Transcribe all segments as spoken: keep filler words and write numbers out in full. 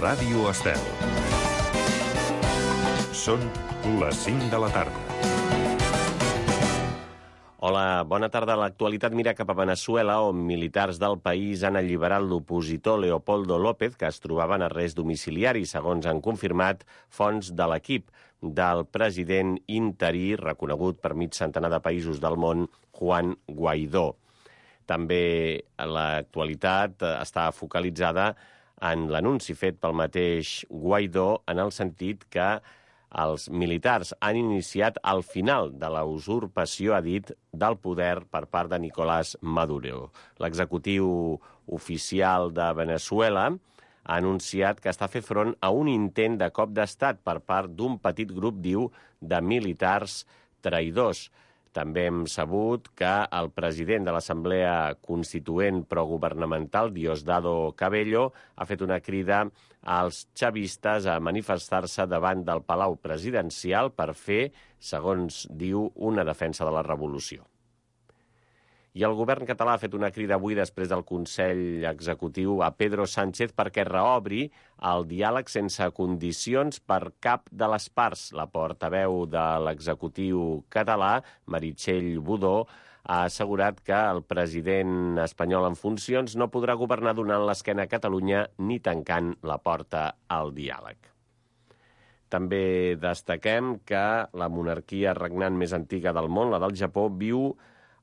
Ràdio Estel. Són les cinc de la tarda. Hola, bona tarda. L'actualitat mira cap a Veneçuela, on militars del país han alliberat l'opositor Leopoldo López, que es trobava en arrest domiciliari, segons han confirmat fonts de l'equip del president interí, reconegut per mig centenar de països del món, Juan Guaidó. També l'actualitat està focalitzada en l'anunci fet pel mateix Guaidó, en el sentit que els militars han iniciat el final de la usurpació, ha dit, del poder per part de Nicolás Maduro. L'executiu oficial de Veneçuela ha anunciat que està fent front a un intent de cop d'estat per part d'un petit grup, diu, de militars traïdors. També hem sabut que el president de l'Assemblea Constituent Progovernamental, Diosdado Cabello, ha fet una crida als chavistes a manifestar-se davant del Palau Presidencial per fer, segons diu, una defensa de la revolució. I el govern català ha fet una crida avui després del Consell Executiu a Pedro Sánchez perquè reobri el diàleg sense condicions per cap de les parts. La portaveu de l'executiu català, Meritxell Budó, ha assegurat que el president espanyol en funcions no podrà governar donant l'esquena a Catalunya ni tancant la porta al diàleg. També destaquem que la monarquia regnant més antiga del món, la del Japó, viu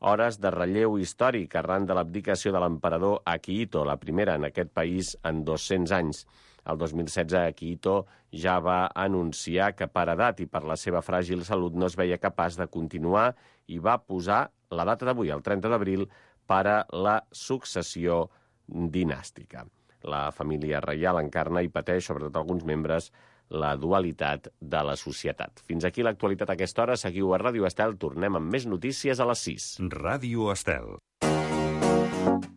hores de relleu històric arran de l'abdicació de l'emperador Akihito, la primera en aquest país en dos-cents anys. El dos mil setze, Akihito ja va anunciar que per edat i per la seva fràgil salut no es veia capaç de continuar i va posar la data d'avui, el trenta d'abril, per a la successió dinàstica. La família reial encarna i pateix, sobretot alguns membres, la dualitat de la societat. Fins aquí l'actualitat a aquesta hora. Seguiu a Ràdio Estel. Tornem amb més notícies a les sis. Ràdio Estel.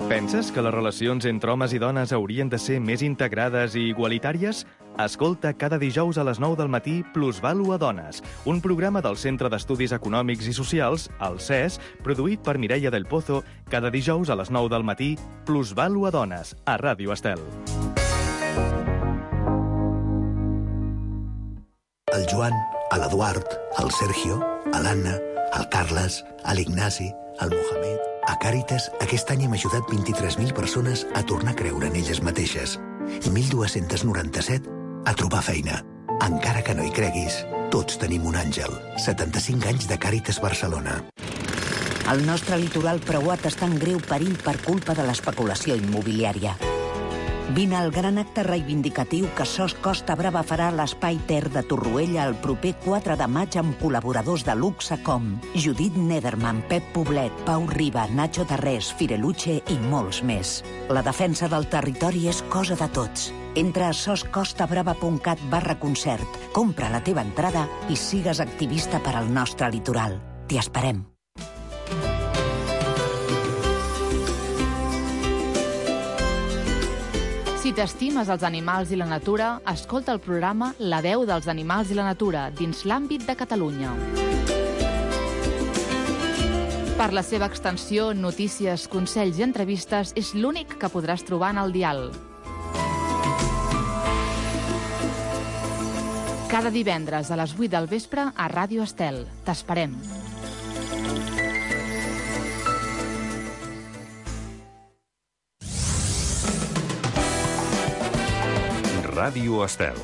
Penses que les relacions entre homes i dones haurien de ser més integrades i igualitàries? Escolta cada dijous a les nou del matí Plusvàlua Dones, un programa del Centre d'Estudis Econòmics i Socials, el C E S, produït per Mireia del Pozo, cada dijous a les nou del matí Plusvàlua Dones, a Ràdio Estel. El Joan, l'Eduard, el Sergio, l'Anna, el Carles, l'Ignasi, el Mohamed... A Càritas, aquest any hem ajudat vint-i-tres mil persones a tornar a creure en elles mateixes i mil dos-cents noranta-set a trobar feina. Encara que no hi creguis, tots tenim un àngel. setanta-cinc anys de Càritas Barcelona. El nostre litoral preuat està en greu perill per culpa de l'especulació immobiliària. Vine al gran acte reivindicatiu que S O S Costa Brava farà a l'Espai Ter de Torroella el proper quatre de maig amb col·laboradors de luxe com Judit Nederman, Pep Poblet, Pau Riba, Nacho Tarrés, Fireluche i molts més. La defensa del territori és cosa de tots. Entra a soscostabrava punt cat barra concert, compra la teva entrada i sigues activista per al nostre litoral. T'hi esperem. Si t'estimes els animals i la natura, escolta el programa La veu dels animals i la natura dins l'àmbit de Catalunya. Per la seva extensió, notícies, consells i entrevistes, és l'únic que podràs trobar en el dial. Cada divendres a les vuit del vespre a Ràdio Estel. T'esperem. Ràdio Estel.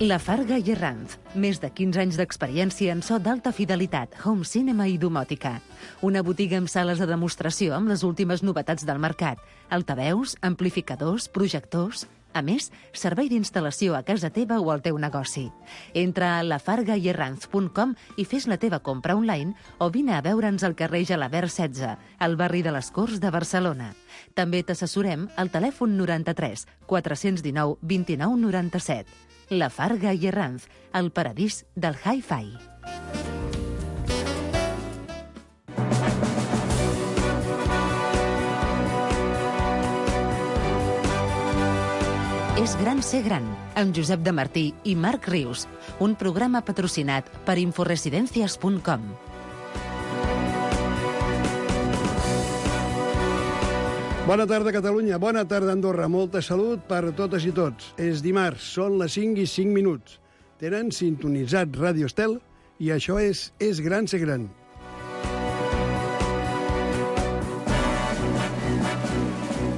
La Farga i Herranz. Més de quinze anys d'experiència en so d'alta fidelitat, home cinema i domòtica. Una botiga amb sales de demostració amb les últimes novetats del mercat. Altaveus, amplificadors, projectors... A més, servei d'instal·lació a casa teva o al teu negoci. Entra a la farga i herranz punt com i fes la teva compra online o vine a veure'ns al carrer Gelabert setze, al barri de les Corts de Barcelona. També t'assessorem al telèfon noranta-tres quatre-cents dinou vint-i-nou noranta-set. La Farga i Herranz, el paradís del hi-fi. És gran ser gran, amb Josep de Martí i Marc Rius, un programa patrocinat per inforesidencias punt com. Bona tarda, Catalunya. Bona tarda, Andorra. Molta salut per totes i tots. És dimarts, són les cinc i cinc minuts. Tenen sintonitzat Ràdio Estel i això és És gran ser gran.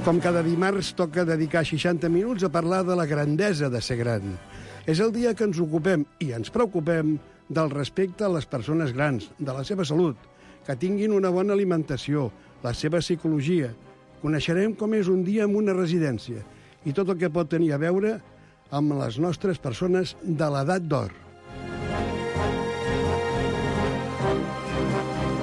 Com cada dimarts, toca dedicar seixanta minuts a parlar de la grandesa de ser gran. És el dia que ens ocupem i ens preocupem del respecte a les persones grans, de la seva salut, que tinguin una bona alimentació, la seva psicologia. Coneixerem com és un dia en una residència i tot el que pot tenir a veure amb les nostres persones de l'edat d'or.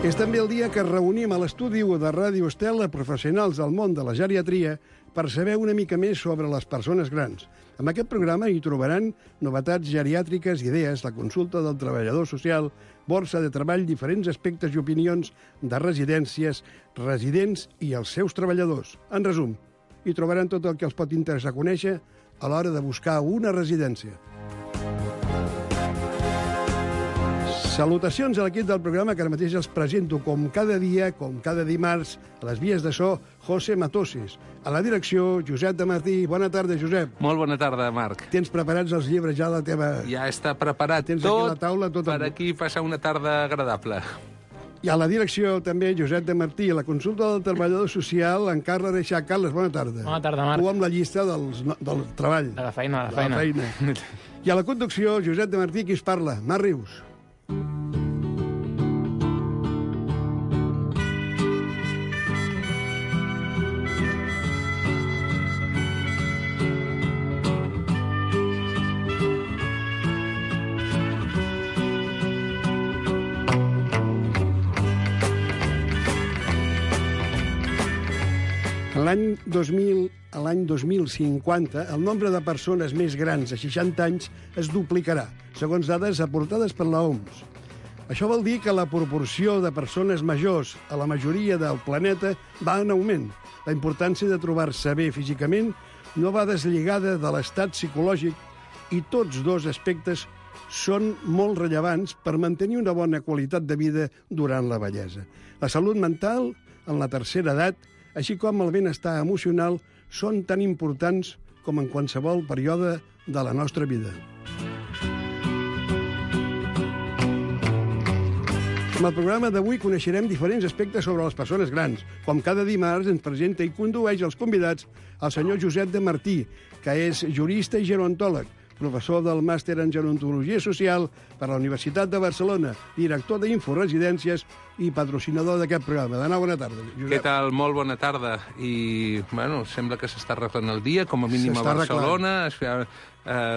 És també el dia que reunim a l'estudi de Ràdio Estel a professionals del món de la geriatria per saber una mica més sobre les persones grans. En aquest programa hi trobaran novetats geriàtriques, idees, la consulta del treballador social, borsa de treball, diferents aspectes i opinions de residències, residents i els seus treballadors. En resum, hi trobaran tot el que els pot interessar conèixer a l'hora de buscar una residència. Salutacions a l'equip del programa, que ara mateix els presento com cada dia, com cada dimarts, a les vies de so, José Matoses. A la direcció, Josep de Martí. Bona tarda, Josep. Molt bona tarda, Marc. Tens preparats els llibres ja a la teva... Ja està preparat Tens tot aquí la taula, tot per el... aquí passar una tarda agradable. I a la direcció també, Josep de Martí. A la consulta del treballador social, en Carles Reixac. Carles, bona tarda. Bona tarda, Marc. Tu amb la llista dels, del treball. De la feina, de la feina. De la feina. I a la conducció, Josep de Martí, qui es parla? Mar Rius. L'any dos mil, a l'any dos mil cinquanta, el nombre de persones més grans de seixanta anys es duplicarà, segons dades aportades per l'O M S. Això vol dir que la proporció de persones majors a la majoria del planeta va en augment. La importància de trobar-se bé físicament no va deslligada de l'estat psicològic i tots dos aspectes són molt rellevants per mantenir una bona qualitat de vida durant la vellesa. La salut mental, en la tercera edat, així com el benestar emocional, són tan importants com en qualsevol període de la nostra vida. En el programa d'avui coneixerem diferents aspectes sobre les persones grans. Com cada dimarts ens presenta i condueix els convidats el senyor Josep de Martí, que és jurista i gerontòleg, professor del màster en gerontologia social per la Universitat de Barcelona, director d'Inforesidències i patrocinador d'aquest programa. De nou, bona tarda, Josep. Què tal? Molt bona tarda. I, bueno, sembla que s'està arreglant el dia, com a mínim a Barcelona. Arreglant.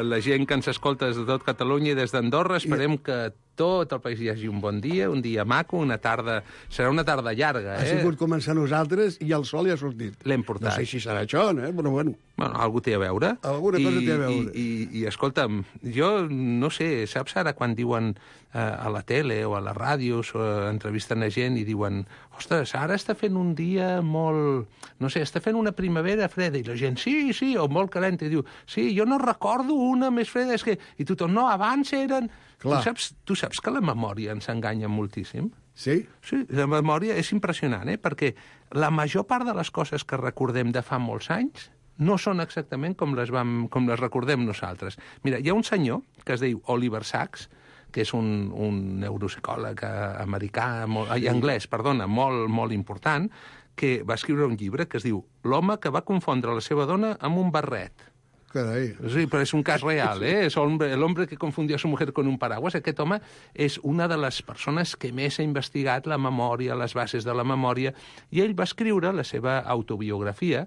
La gent que ens escolta des de tot Catalunya i des d'Andorra, esperem I... que tot el país hi hagi un bon dia, un dia maco, una tarda... Serà una tarda llarga, eh? Ha sigut començar nosaltres i el sol hi ha sortit. L'hem portat. No sé si serà això, eh? Però bueno... Bueno, algú té a veure. Alguna I, cosa té a veure. I, i, i escolta'm, jo no sé, saps ara quan diuen eh, a la tele o a les ràdios o entrevisten a gent i diuen ostres, ara està fent un dia molt... No sé, està fent una primavera freda i la gent, sí, sí, o molt calenta, i diu, sí, jo no recordo una més freda, és que... I tothom, no, abans eren... Tu saps, tu saps que la memòria ens enganya moltíssim? Sí? Sí, la memòria és impressionant, eh? Perquè la major part de les coses que recordem de fa molts anys no són exactament com les, vam, com les recordem nosaltres. Mira, hi ha un senyor que es diu Oliver Sacks, que és un, un neuropsicòleg americà, molt, ai, anglès, perdona, molt, molt important, que va escriure un llibre que es diu L'home que va confondre la seva dona amb un barret. Carai. Sí, però és un cas real, eh? És l'home que confundia a su mujer con un paraguas. Aquest home és una de les persones que més ha investigat la memòria, les bases de la memòria, i ell va escriure la seva autobiografia,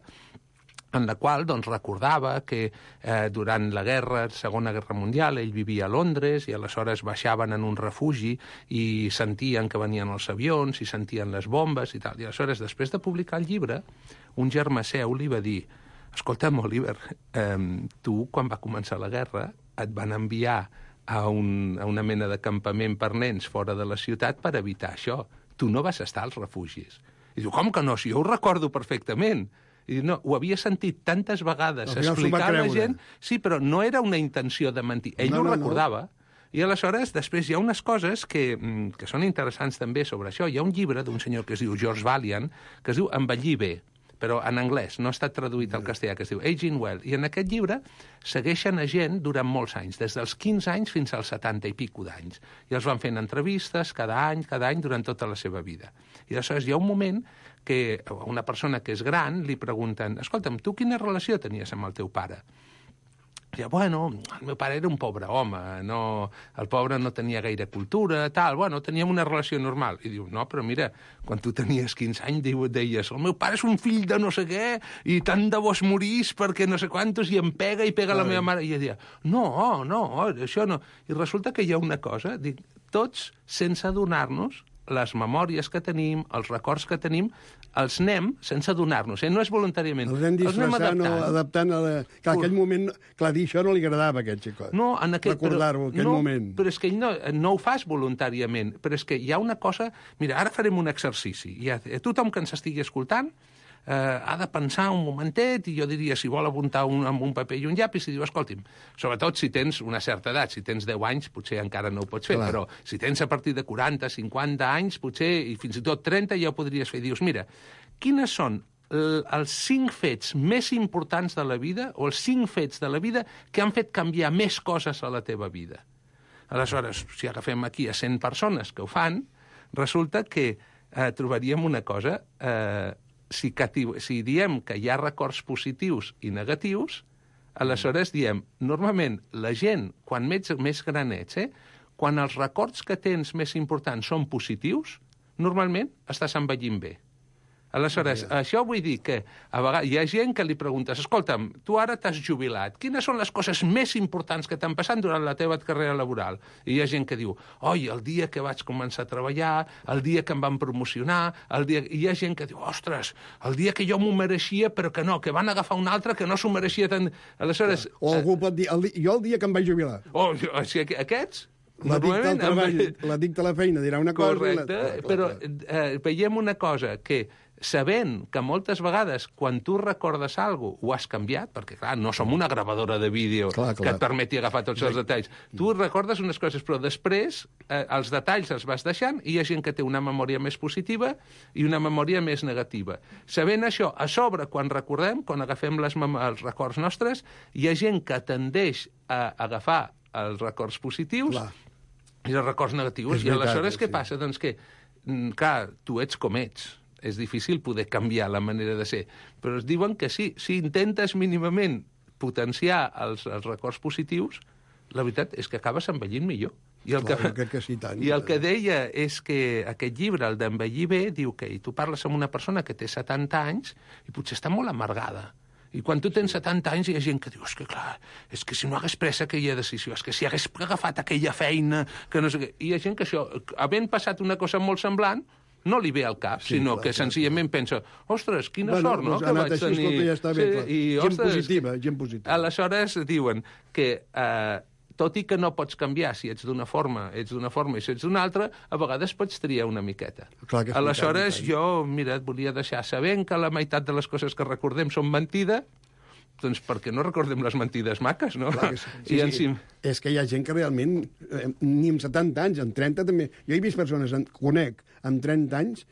en la qual doncs, recordava que eh, durant la guerra, Segona Guerra Mundial, ell vivia a Londres i aleshores baixaven en un refugi i sentien que venien els avions i sentien les bombes i tal. I aleshores, després de publicar el llibre, un germà seu li va dir: escolta'm, Oliver, eh, tu, quan va començar la guerra, et van enviar a, un, a una mena de campament per nens fora de la ciutat per evitar això. Tu no vas estar als refugis. I diu, com que no? Si jo ho recordo perfectament. I diu, no, ho havia sentit tantes vegades explicar a la gent, sí, però no era una intenció de mentir. Ell no, ho no, recordava. No. I aleshores, després hi ha unes coses que, que són interessants també sobre això. Hi ha un llibre d'un senyor que es diu George Vaillant, que es diu Envellir bé, però en anglès, no ha estat traduït al castellà, que es diu Aging Well. I en aquest llibre segueixen a gent durant molts anys, des dels quinze anys fins als setanta i pico d'anys. I els van fent entrevistes cada any, cada any, durant tota la seva vida. I aleshores hi ha un moment que a una persona que és gran li pregunten: escolta'm, tu quina relació tenies amb el teu pare? I, bueno, el meu pare era un pobre home, no, el pobre no tenia gaire cultura, tal, bueno, teníem una relació normal. I diu, no, però mira, quan tu tenies quinze anys diu, deies, el meu pare és un fill de no sé què, i tant de bo es morís perquè no sé quantos, i em pega i pega Ai. la meva mare. I ella deia, no, no, això no. I resulta que hi ha una cosa, dic, tots, sense adonar-nos, les memòries que tenim, els records que tenim, els anem sense adonar-nos, eh? No és voluntàriament. Els anem disfressant o adaptant a la... Clar, aquell moment, clar, dir això no li agradava a aquest xicot. No, en aquell... Recordar-ho, aquell no, moment. Però és que ell no, no ho fas voluntàriament, però és que hi ha una cosa... Mira, ara farem un exercici. Hi ha, tothom que ens estigui escoltant eh, ha de pensar un momentet, i jo diria, si vol apuntar un, amb un paper i un llapis, i diu, escolti'm, sobretot si tens una certa edat, si tens deu anys, potser encara no ho pots fer, Clar. però si tens a partir de quaranta, cinquanta anys, potser, i fins i tot trenta, ja ho podries fer. I dius, mira, quines són els cinc fets més importants de la vida, o els cinc fets de la vida que han fet canviar més coses a la teva vida? Aleshores, si agafem aquí a cent persones que ho fan, resulta que eh, trobaríem una cosa... Eh, Si, si diem que hi ha records positius i negatius, aleshores diem, normalment, la gent, quan més, més gran ets, eh, quan els records que tens més importants són positius, normalment estàs envellint bé. Aleshores, yeah. això vull dir que a vegades hi ha gent que li preguntes, escolta'm, tu ara t'has jubilat, quines són les coses més importants que t'han passat durant la teva carrera laboral? I hi ha gent que diu, oi, el dia que vaig començar a treballar, el dia que em van promocionar, el dia... I hi ha gent que diu, ostres, el dia que jo m'ho mereixia, però que no, que van agafar un altre que no s'ho mereixia tant... Aleshores... O algú pot dir, el di... jo el dia que em vaig jubilar. O, o sigui, aquests... L'addicte al treball, l'addicte a la feina dirà una cosa... Correcte, la... però eh, veiem una cosa, que sabent que moltes vegades quan tu recordes alguna cosa ho has canviat, perquè clar, no som una gravadora de vídeo clar, clar. que et permeti agafar tots els detalls. Tu recordes unes coses, però després eh, els detalls els vas deixant i hi ha gent que té una memòria més positiva i una memòria més negativa. Sabent això, a sobre, quan recordem, quan agafem les els records nostres, hi ha gent que tendeix a agafar els records positius clar. i els records negatius. És I veritat, aleshores què sí. passa? Doncs que, clar, tu ets com ets. És difícil poder canviar la manera de ser. Però es diuen que sí, si intentes mínimament potenciar els, els records positius, la veritat és que acabes envellint millor. I el, Clar, que, que sí, tant. I el que deia és que aquest llibre, el d'Envellir bé, diu que tu parles amb una persona que té setanta anys i potser està molt amargada. I quan tu tens setanta anys hi ha gent que diu, és que clar, és que si no hagués pres aquella decisió, és que si hagués agafat aquella feina, que no sé què... I hi ha gent que això, havent passat una cosa molt semblant, no li ve al cap, sí, sinó clar, que senzillament clar. pensa, ostres, quina bueno, sort, no?, doncs que vaig així, tenir... Escolta, ja està bé, sí, i, gent ostres, positiva, gent positiva. Aleshores diuen que, eh, tot i que no pots canviar si ets d'una forma, ets d'una forma i si ets d'una altra, a vegades pots triar una miqueta. Clar que Aleshores, tant, jo, mira, et volia deixar sabent que la meitat de les coses que recordem són mentida, doncs perquè no recordem les mentides maques, no? Clar que sí. Sí, I sí. És que hi ha gent que realment, eh, ni amb setanta anys, amb trenta també... Jo he vist persones, en, conec, amb trenta anys,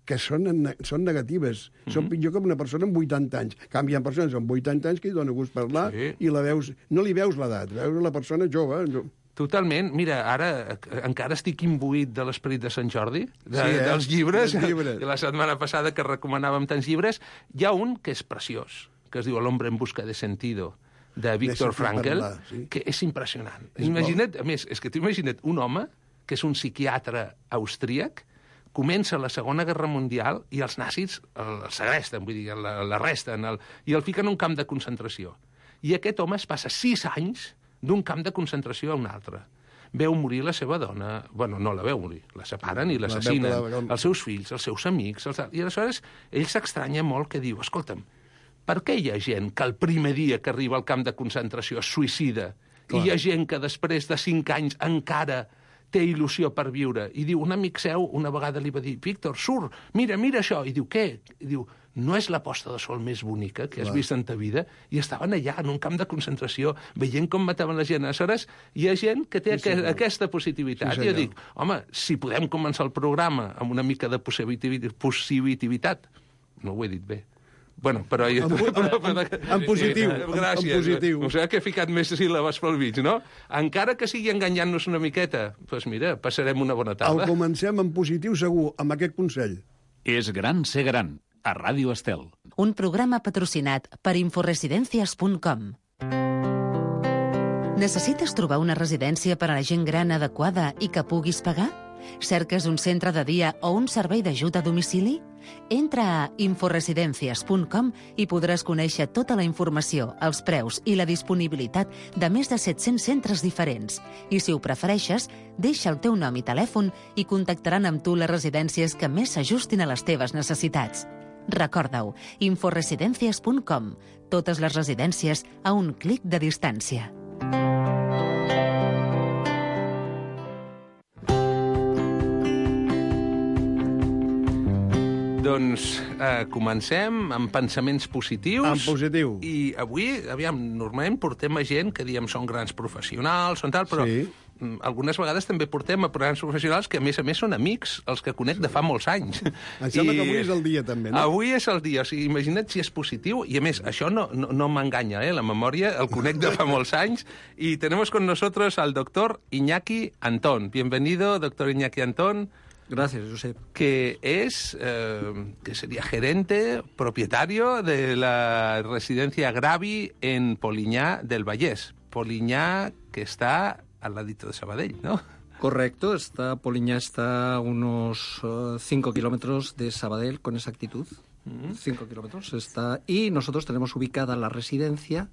que són, són negatives. Mm-hmm. Són pitjor que una persona amb vuitanta anys. Canvien persones amb vuitanta anys que hi dona gust parlar sí. i la veus, no li veus l'edat, veus la persona jove. No. Totalment. Mira, ara encara estic imbuït de l'esperit de Sant Jordi, de, sí, eh? dels llibres. llibres. La setmana passada que recomanàvem tants llibres, hi ha un que és preciós, que es diu El hombre en busca de sentido, de Viktor Frankl, parlar, sí. que és impressionant. És imagina't, a més, és que t'ho imagina't un home que és un psiquiatre austríac, comença la Segona Guerra Mundial i els nazis el segresten, vull dir, l'arresten, el, i el fiquen en un camp de concentració. I aquest home es passa sis anys d'un camp de concentració a un altre. Veu morir la seva dona, bueno, no la veu morir, la separen i l'assassinen, la els seus fills, els seus amics, els... i aleshores ell s'estranya molt que diu, escolta'm, per què hi ha gent que el primer dia que arriba al camp de concentració es suïcida Clar. i hi ha gent que després de cinc anys encara té il·lusió per viure? I diu, un amic seu una vegada li va dir, Víctor, surt, mira, mira això. I diu, què? I diu, no és la posta de sol més bonica que has Clar. vist en ta vida? I estaven allà, en un camp de concentració, veient com mataven la gent. Aleshores, hi ha gent que té sí, aqu aquesta positivitat. Sí, I jo dic, home, si podem començar el programa amb una mica de positivitat, no ho he dit bé, Bueno, però... En, en, en positiu. Gràcies. En positiu. O sigui que he ficat més síl·labes pel mig, no? Encara que sigui enganyant-nos una miqueta, doncs pues mira, passarem una bona tarda. El comencem en positiu segur, amb aquest consell. És gran ser gran, a Ràdio Estel. Un programa patrocinat per inforesidencias punt com. Necessites trobar una residència per a la gent gran adequada i que puguis pagar? Cerques un centre de dia o un servei d'ajut a domicili? Entra a inforesidencias punt com i podràs conèixer tota la informació, els preus i la disponibilitat de més de set-cents centres diferents. I si ho prefereixes, deixa el teu nom i telèfon i contactaran amb tu les residències que més s'ajustin a les teves necessitats. Recorda-ho, inforesidencias punt com. Totes les residències a un clic de distància. Doncs eh, comencem amb pensaments positius. En positiu. I avui, aviam, normalment portem a gent que diem són grans professionals, són tal, però sí. Algunes vegades també portem a grans professionals que, a més a més, són amics, els que conec de fa molts anys. Em sembla I... que avui és el dia, també, no? Avui és el dia. O sigui, imagina't si és positiu. I, a més, això no, no, no m'enganya, eh? La memòria, el conec de fa molts anys. Y tenemos con nosotros al doctor Iñaki Antón. Bienvenido, doctor Iñaki Antón. Gracias, Josep. Que es, eh, que sería gerente, propietario de la residencia Gravi en Poliñá del Vallès. Poliñá, que está al ladito de Sabadell, ¿no? Correcto, está, Poliñá está a unos cinco uh, kilómetros de Sabadell, con exactitud. cinco uh-huh. kilómetros está. Y nosotros tenemos ubicada la residencia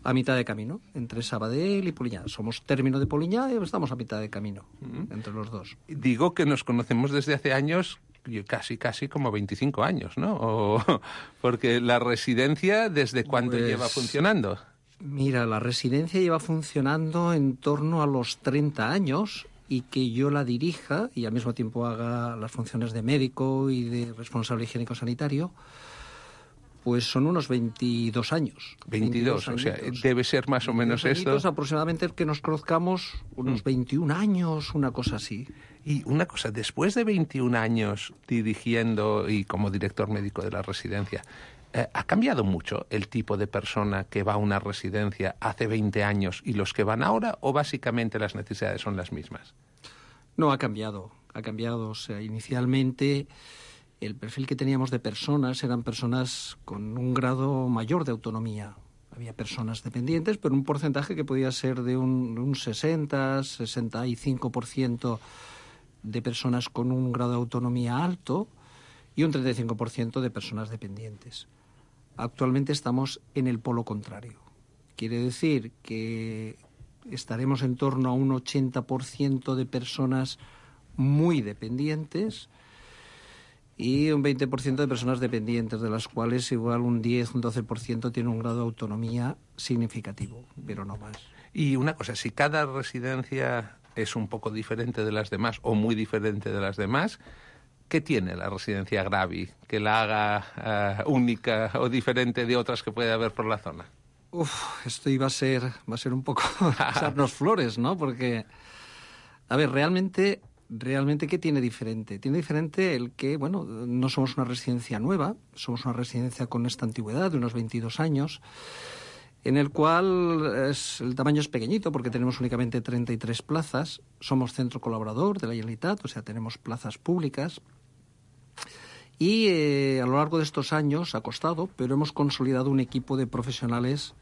a mitad de camino, entre Sabadell y Poliñá. Somos término de Poliñá y estamos a mitad de camino, uh-huh. entre los dos. Digo que nos conocemos desde hace años, casi, casi como veinticinco años, ¿no? O, porque la residencia, ¿desde cuándo pues... lleva funcionando? Mira, la residencia lleva funcionando en torno a los treinta años y que yo la dirija y al mismo tiempo haga las funciones de médico y de responsable higiénico-sanitario, pues son unos veintidós años. veintidós, o sea, debe ser más o menos esto. Aproximadamente que nos conozcamos unos mm. veintiún años, una cosa así. Y una cosa, después de veintiún años dirigiendo y como director médico de la residencia, Eh, ¿ha cambiado mucho el tipo de persona que va a una residencia hace veinte años y los que van ahora, o básicamente las necesidades son las mismas? No, ha cambiado, ha cambiado. O sea, inicialmente el perfil que teníamos de personas eran personas con un grado mayor de autonomía. Había personas dependientes, pero un porcentaje que podía ser de un, un sesenta, sesenta y cinco por ciento de personas con un grado de autonomía alto y un treinta y cinco por ciento de personas dependientes. Actualmente estamos en el polo contrario. Quiere decir que estaremos en torno a un ochenta por ciento de personas muy dependientes y un veinte por ciento de personas dependientes, de las cuales igual un diez, un doce por ciento tiene un grado de autonomía significativo, pero no más. Y una cosa, si cada residencia es un poco diferente de las demás o muy diferente de las demás, ¿qué tiene la residencia Gravi que la haga uh, única o diferente de otras que puede haber por la zona? Uf, esto iba a ser, va a ser un poco echarnos flores, ¿no? Porque, a ver, realmente, realmente, ¿qué tiene diferente? Tiene diferente el que, bueno, no somos una residencia nueva, somos una residencia con esta antigüedad de unos veintidós años, en el cual es, el tamaño es pequeñito porque tenemos únicamente treinta y tres plazas. Somos centro colaborador de la Generalitat, o sea, tenemos plazas públicas. Y eh, a lo largo de estos años ha costado, pero hemos consolidado un equipo de profesionales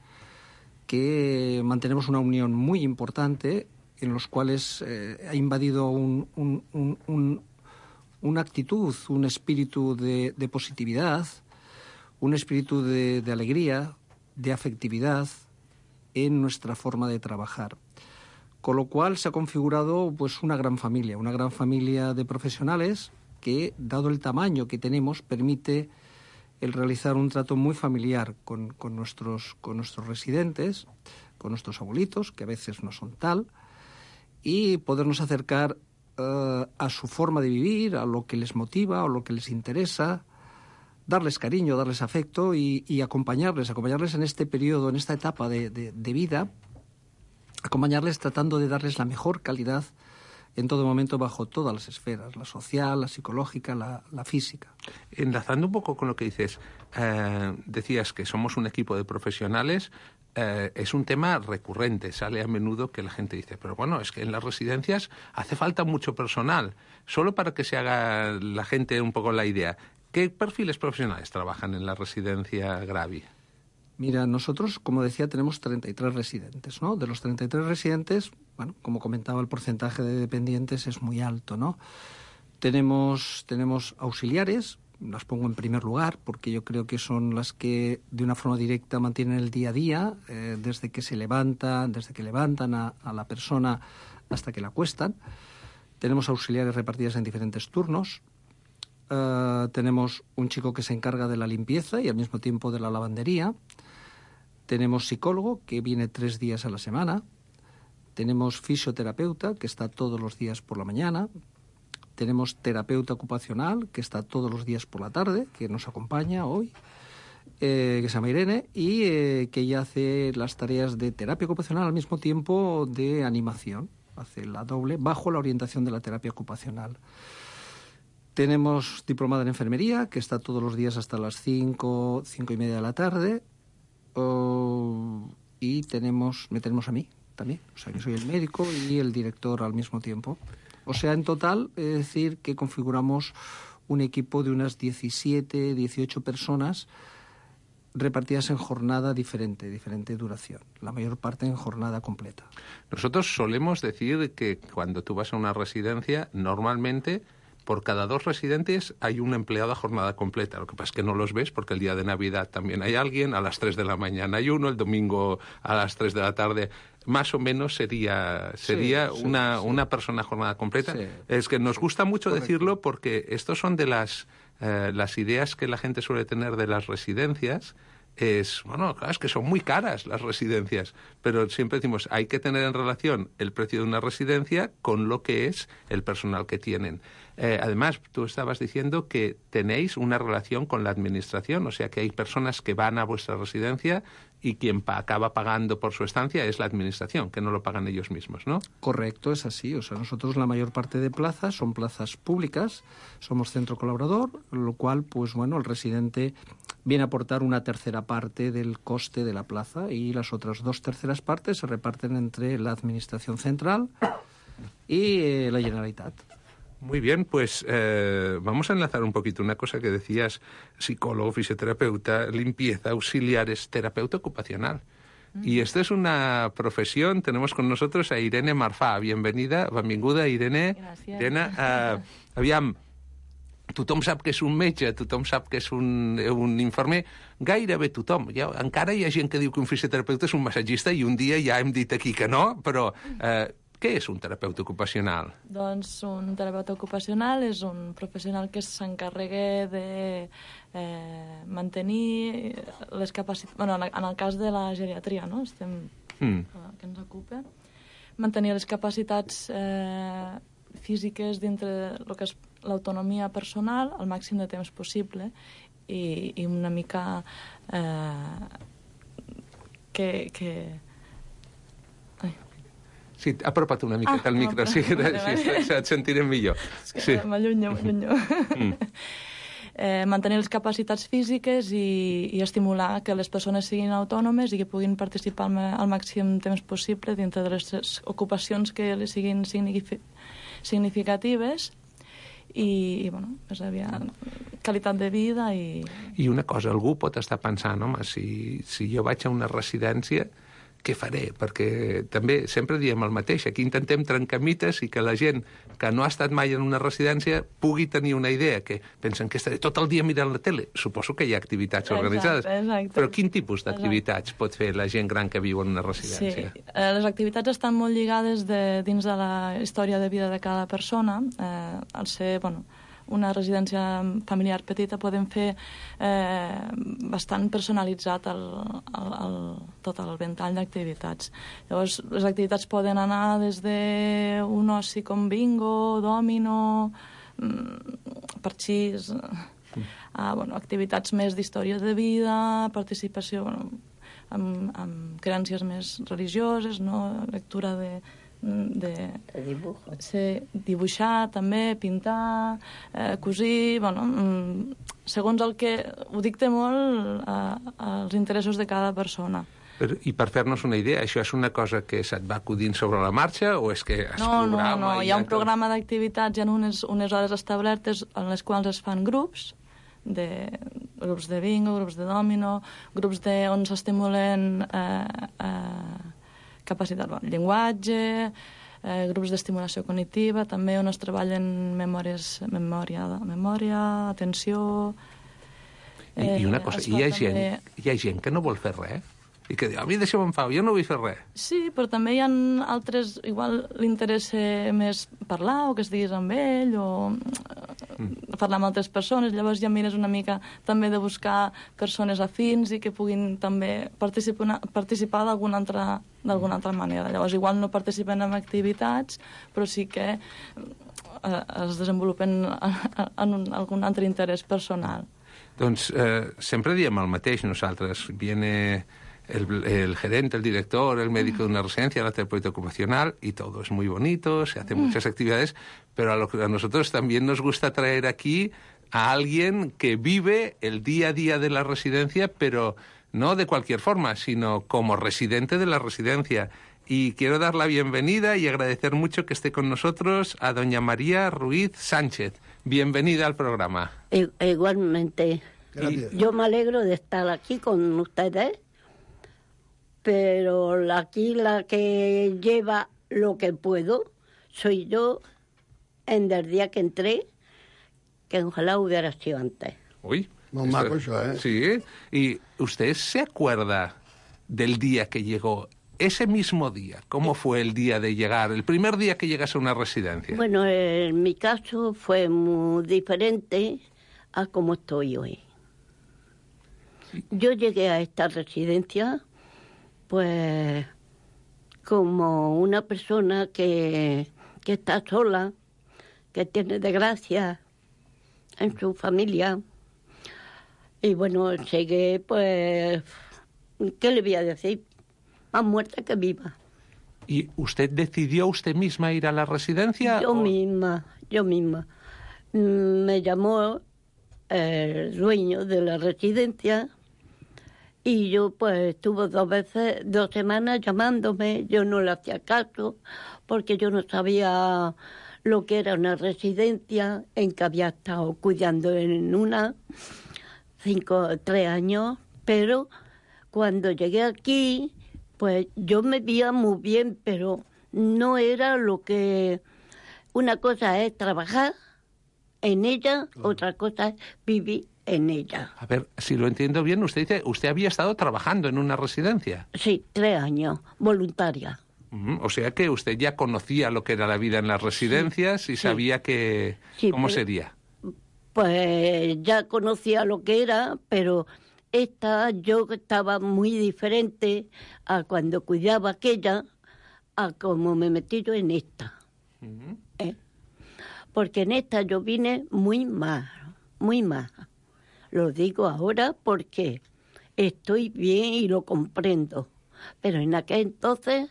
que mantenemos una unión muy importante, en los cuales eh, ha invadido un, un, un, un, una actitud, un espíritu de, de positividad, un espíritu de, de alegría, de afectividad en nuestra forma de trabajar. Con lo cual se ha configurado pues una gran familia, una gran familia de profesionales que, dado el tamaño que tenemos, permite el realizar un trato muy familiar con, con, nuestros, con nuestros residentes, con nuestros abuelitos, que a veces no son tal, y podernos acercar uh, a su forma de vivir, a lo que les motiva, o lo que les interesa, darles cariño, darles afecto y, y acompañarles, acompañarles en este periodo, en esta etapa de, de, de vida, acompañarles tratando de darles la mejor calidad en todo momento bajo todas las esferas, la social, la psicológica, la, la física. Enlazando un poco con lo que dices, eh, decías que somos un equipo de profesionales, eh, es un tema recurrente, sale a menudo que la gente dice, pero bueno, es que en las residencias hace falta mucho personal. Solo para que se haga la gente un poco la idea, ¿qué perfiles profesionales trabajan en la residencia Gravi? Mira, nosotros, como decía, tenemos treinta y tres residentes, ¿no? De los treinta y tres residentes, bueno, como comentaba, el porcentaje de dependientes es muy alto, ¿no? Tenemos, tenemos auxiliares, las pongo en primer lugar, porque yo creo que son las que de una forma directa mantienen el día a día, eh, desde que se levantan, desde que levantan a, a la persona hasta que la acuestan. Tenemos auxiliares repartidas en diferentes turnos. Uh, tenemos un chico que se encarga de la limpieza y al mismo tiempo de la lavandería. Tenemos psicólogo, que viene tres días a la semana. Tenemos fisioterapeuta, que está todos los días por la mañana. Tenemos terapeuta ocupacional, que está todos los días por la tarde, que nos acompaña hoy, eh, que se llama Irene, y eh, que ella hace las tareas de terapia ocupacional al mismo tiempo de animación. Hace la doble, bajo la orientación de la terapia ocupacional. Tenemos diplomada en enfermería, que está todos los días hasta las cinco, cinco y media de la tarde. Uh, y tenemos, me tenemos a mí también. O sea, que soy el médico y el director al mismo tiempo. O sea, en total, es decir, que configuramos un equipo de unas diecisiete, dieciocho personas repartidas en jornada diferente, diferente duración. La mayor parte en jornada completa. Nosotros solemos decir que cuando tú vas a una residencia, normalmente por cada dos residentes hay un empleado a jornada completa. Lo que pasa es que no los ves porque el día de Navidad también hay alguien, a las tres de la mañana hay uno, el domingo a las tres de la tarde. Más o menos sería, sería sí, una, sí, una persona a jornada completa. Sí. Es que nos gusta mucho Correcto. decirlo porque estos son de las, eh, las ideas que la gente suele tener de las residencias. Es, bueno, claro, es que son muy caras las residencias, pero siempre decimos, hay que tener en relación el precio de una residencia con lo que es el personal que tienen. Eh, además, tú estabas diciendo que tenéis una relación con la administración, o sea que hay personas que van a vuestra residencia y quien pa- acaba pagando por su estancia es la administración, que no lo pagan ellos mismos, ¿no? Correcto, es así. O sea, nosotros la mayor parte de plazas son plazas públicas, somos centro colaborador, lo cual, pues bueno, el residente viene a aportar una tercera parte del coste de la plaza y las otras dos terceras partes se reparten entre la administración central y eh, la Generalitat. Muy bien, pues eh, vamos a enlazar un poquito una cosa que decías, psicólogo, fisioterapeuta, limpieza, auxiliares, terapeuta ocupacional. Mm. Y esta es una profesión, tenemos con nosotros a Irene Marfà. Bienvenida, benvinguda, Irene. Gràcies. Irene, eh, aviam, tothom sap que és un metge, tothom sap que és un, un infermer, gairebé tothom. Ja, encara hi ha gent que diu que un fisioterapeuta és un massatgista i un dia ja hem dit aquí que no, però eh, què és un terapeuta ocupacional? Doncs un terapeuta ocupacional és un professional que s'encarrega de eh, mantenir les capacitats... Bueno, en el cas de la geriatria, no? Estem, mm. que ens ocupa. Mantenir les capacitats eh, físiques dintre el que és l'autonomia personal al màxim de temps possible i, i una mica eh, que... que... Sí, apropa't una miqueta al ah, micro, sí, vale, vale. sí, et sentirem millor. És que sí. m'allunyo, m'allunyo. Mm. eh, mantenir les capacitats físiques i, i estimular que les persones siguin autònomes i que puguin participar al màxim temps possible dintre de les ocupacions que les siguin significatives i, i bueno, és aviat, qualitat de vida i... I una cosa, algú pot estar pensant, home, si, si jo vaig a una residència, què faré? Perquè també sempre diem el mateix. Aquí intentem trencar mites i que la gent que no ha estat mai en una residència pugui tenir una idea, que pensen que estaré tot el dia mirant la tele. Suposo que hi ha activitats organitzades. Exacte, exacte. Però quin tipus d'activitats pot fer la gent gran que viu en una residència? Sí, eh, les activitats estan molt lligades de, dins de la història de vida de cada persona. Eh, al ser, bueno, una residència familiar petita podem fer eh, bastant personalitzat el, el, el, tot el ventall d'activitats. Llavors, les activitats poden anar des d'un oci com bingo, dòmino, parxís, a bueno, activitats més d'història de vida, participació bueno, amb, amb creences més religioses, no? Lectura de, de, de dibujo. Sí, dibuixar també, pintar, eh, cosir, bueno, segons el que... Ho dicta molt eh, als interessos de cada persona. Però, I per fer-nos una idea, això és una cosa que se't va acudint sobre la marxa o és que es no, programa? No, no, hi ha un programa d'activitats, hi ha unes, unes hores establertes en les quals es fan grups, de grups de bingo, grups de domino, grups de, on s'estimulen eh, eh, capacitat, bueno, llenguatge, eh, grups d'estimulació cognitiva, també on es treballen memòries, memòria, memòria, atenció... Eh, I, I una cosa, hi ha, gent, també... hi ha gent que no vol fer res? I que diu, a mi deixa'm en pau, jo no vull fer res. Sí, però també hi ha altres... Igual li interessa més parlar o que estiguis amb ell o mm. parlar amb altres persones. Llavors ja mires una mica també de buscar persones afins i que puguin també participar, participar d'alguna altra, d'alguna altra manera. Llavors igual no participen en activitats, però sí que eh, es desenvolupen en un, algun altre interès personal. Doncs eh, sempre diem el mateix nosaltres. Viene... El, el gerente, el director, el médico de una residencia, la terapeuta ocupacional, y todo es muy bonito, se hacen muchas actividades, pero a, lo que a nosotros también nos gusta traer aquí a alguien que vive el día a día de la residencia, pero no de cualquier forma, sino como residente de la residencia. Y quiero dar la bienvenida y agradecer mucho que esté con nosotros a doña María Ruiz Sánchez. Bienvenida al programa. Igualmente. Gracias. Yo me alegro de estar aquí con ustedes. Pero aquí la que lleva lo que puedo soy yo en el día que entré, que ojalá hubiera sido antes. Uy, muy maco eso, ¿eh? Sí, y usted se acuerda del día que llegó, ese mismo día, ¿cómo fue el día de llegar, el primer día que llegas a una residencia? Bueno, en mi caso fue muy diferente a como estoy hoy. Yo llegué a esta residencia... pues como una persona que, que está sola, que tiene desgracia en su familia. Y bueno, llegué, pues, ¿qué le voy a decir? Más muerta que viva. ¿Y usted decidió usted misma ir a la residencia? Yo o... misma, yo misma. Me llamó el dueño de la residencia. Y yo, pues, estuve dos veces, dos semanas llamándome. Yo no le hacía caso porque yo no sabía lo que era una residencia, en que había estado cuidando en una, cinco, tres años. Pero cuando llegué aquí, pues yo me veía muy bien, pero no era lo que... Una cosa es trabajar en ella, otra cosa es vivir en ella. A ver, si lo entiendo bien, usted dice, usted había estado trabajando en una residencia. Sí, tres años, voluntaria. Uh-huh. O sea que usted ya conocía lo que era la vida en las residencias sí, y sabía sí. que sí, cómo pero, sería. Pues ya conocía lo que era, pero esta yo estaba muy diferente a cuando cuidaba aquella, a como me metí yo en esta. Uh-huh. ¿Eh? Porque en esta yo vine muy mal, muy mal. Lo digo ahora porque estoy bien y lo comprendo. Pero en aquel entonces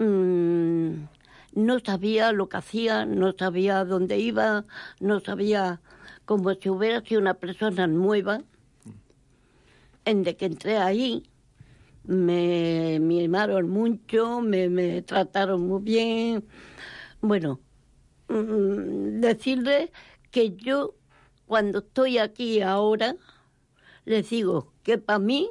mmm, no sabía lo que hacía, no sabía dónde iba, no sabía, como si hubiera sido una persona nueva. En de que entré ahí, me mimaron mucho, me, me trataron muy bien. Bueno, mmm, decirle que yo... Cuando estoy aquí ahora, les digo que para mí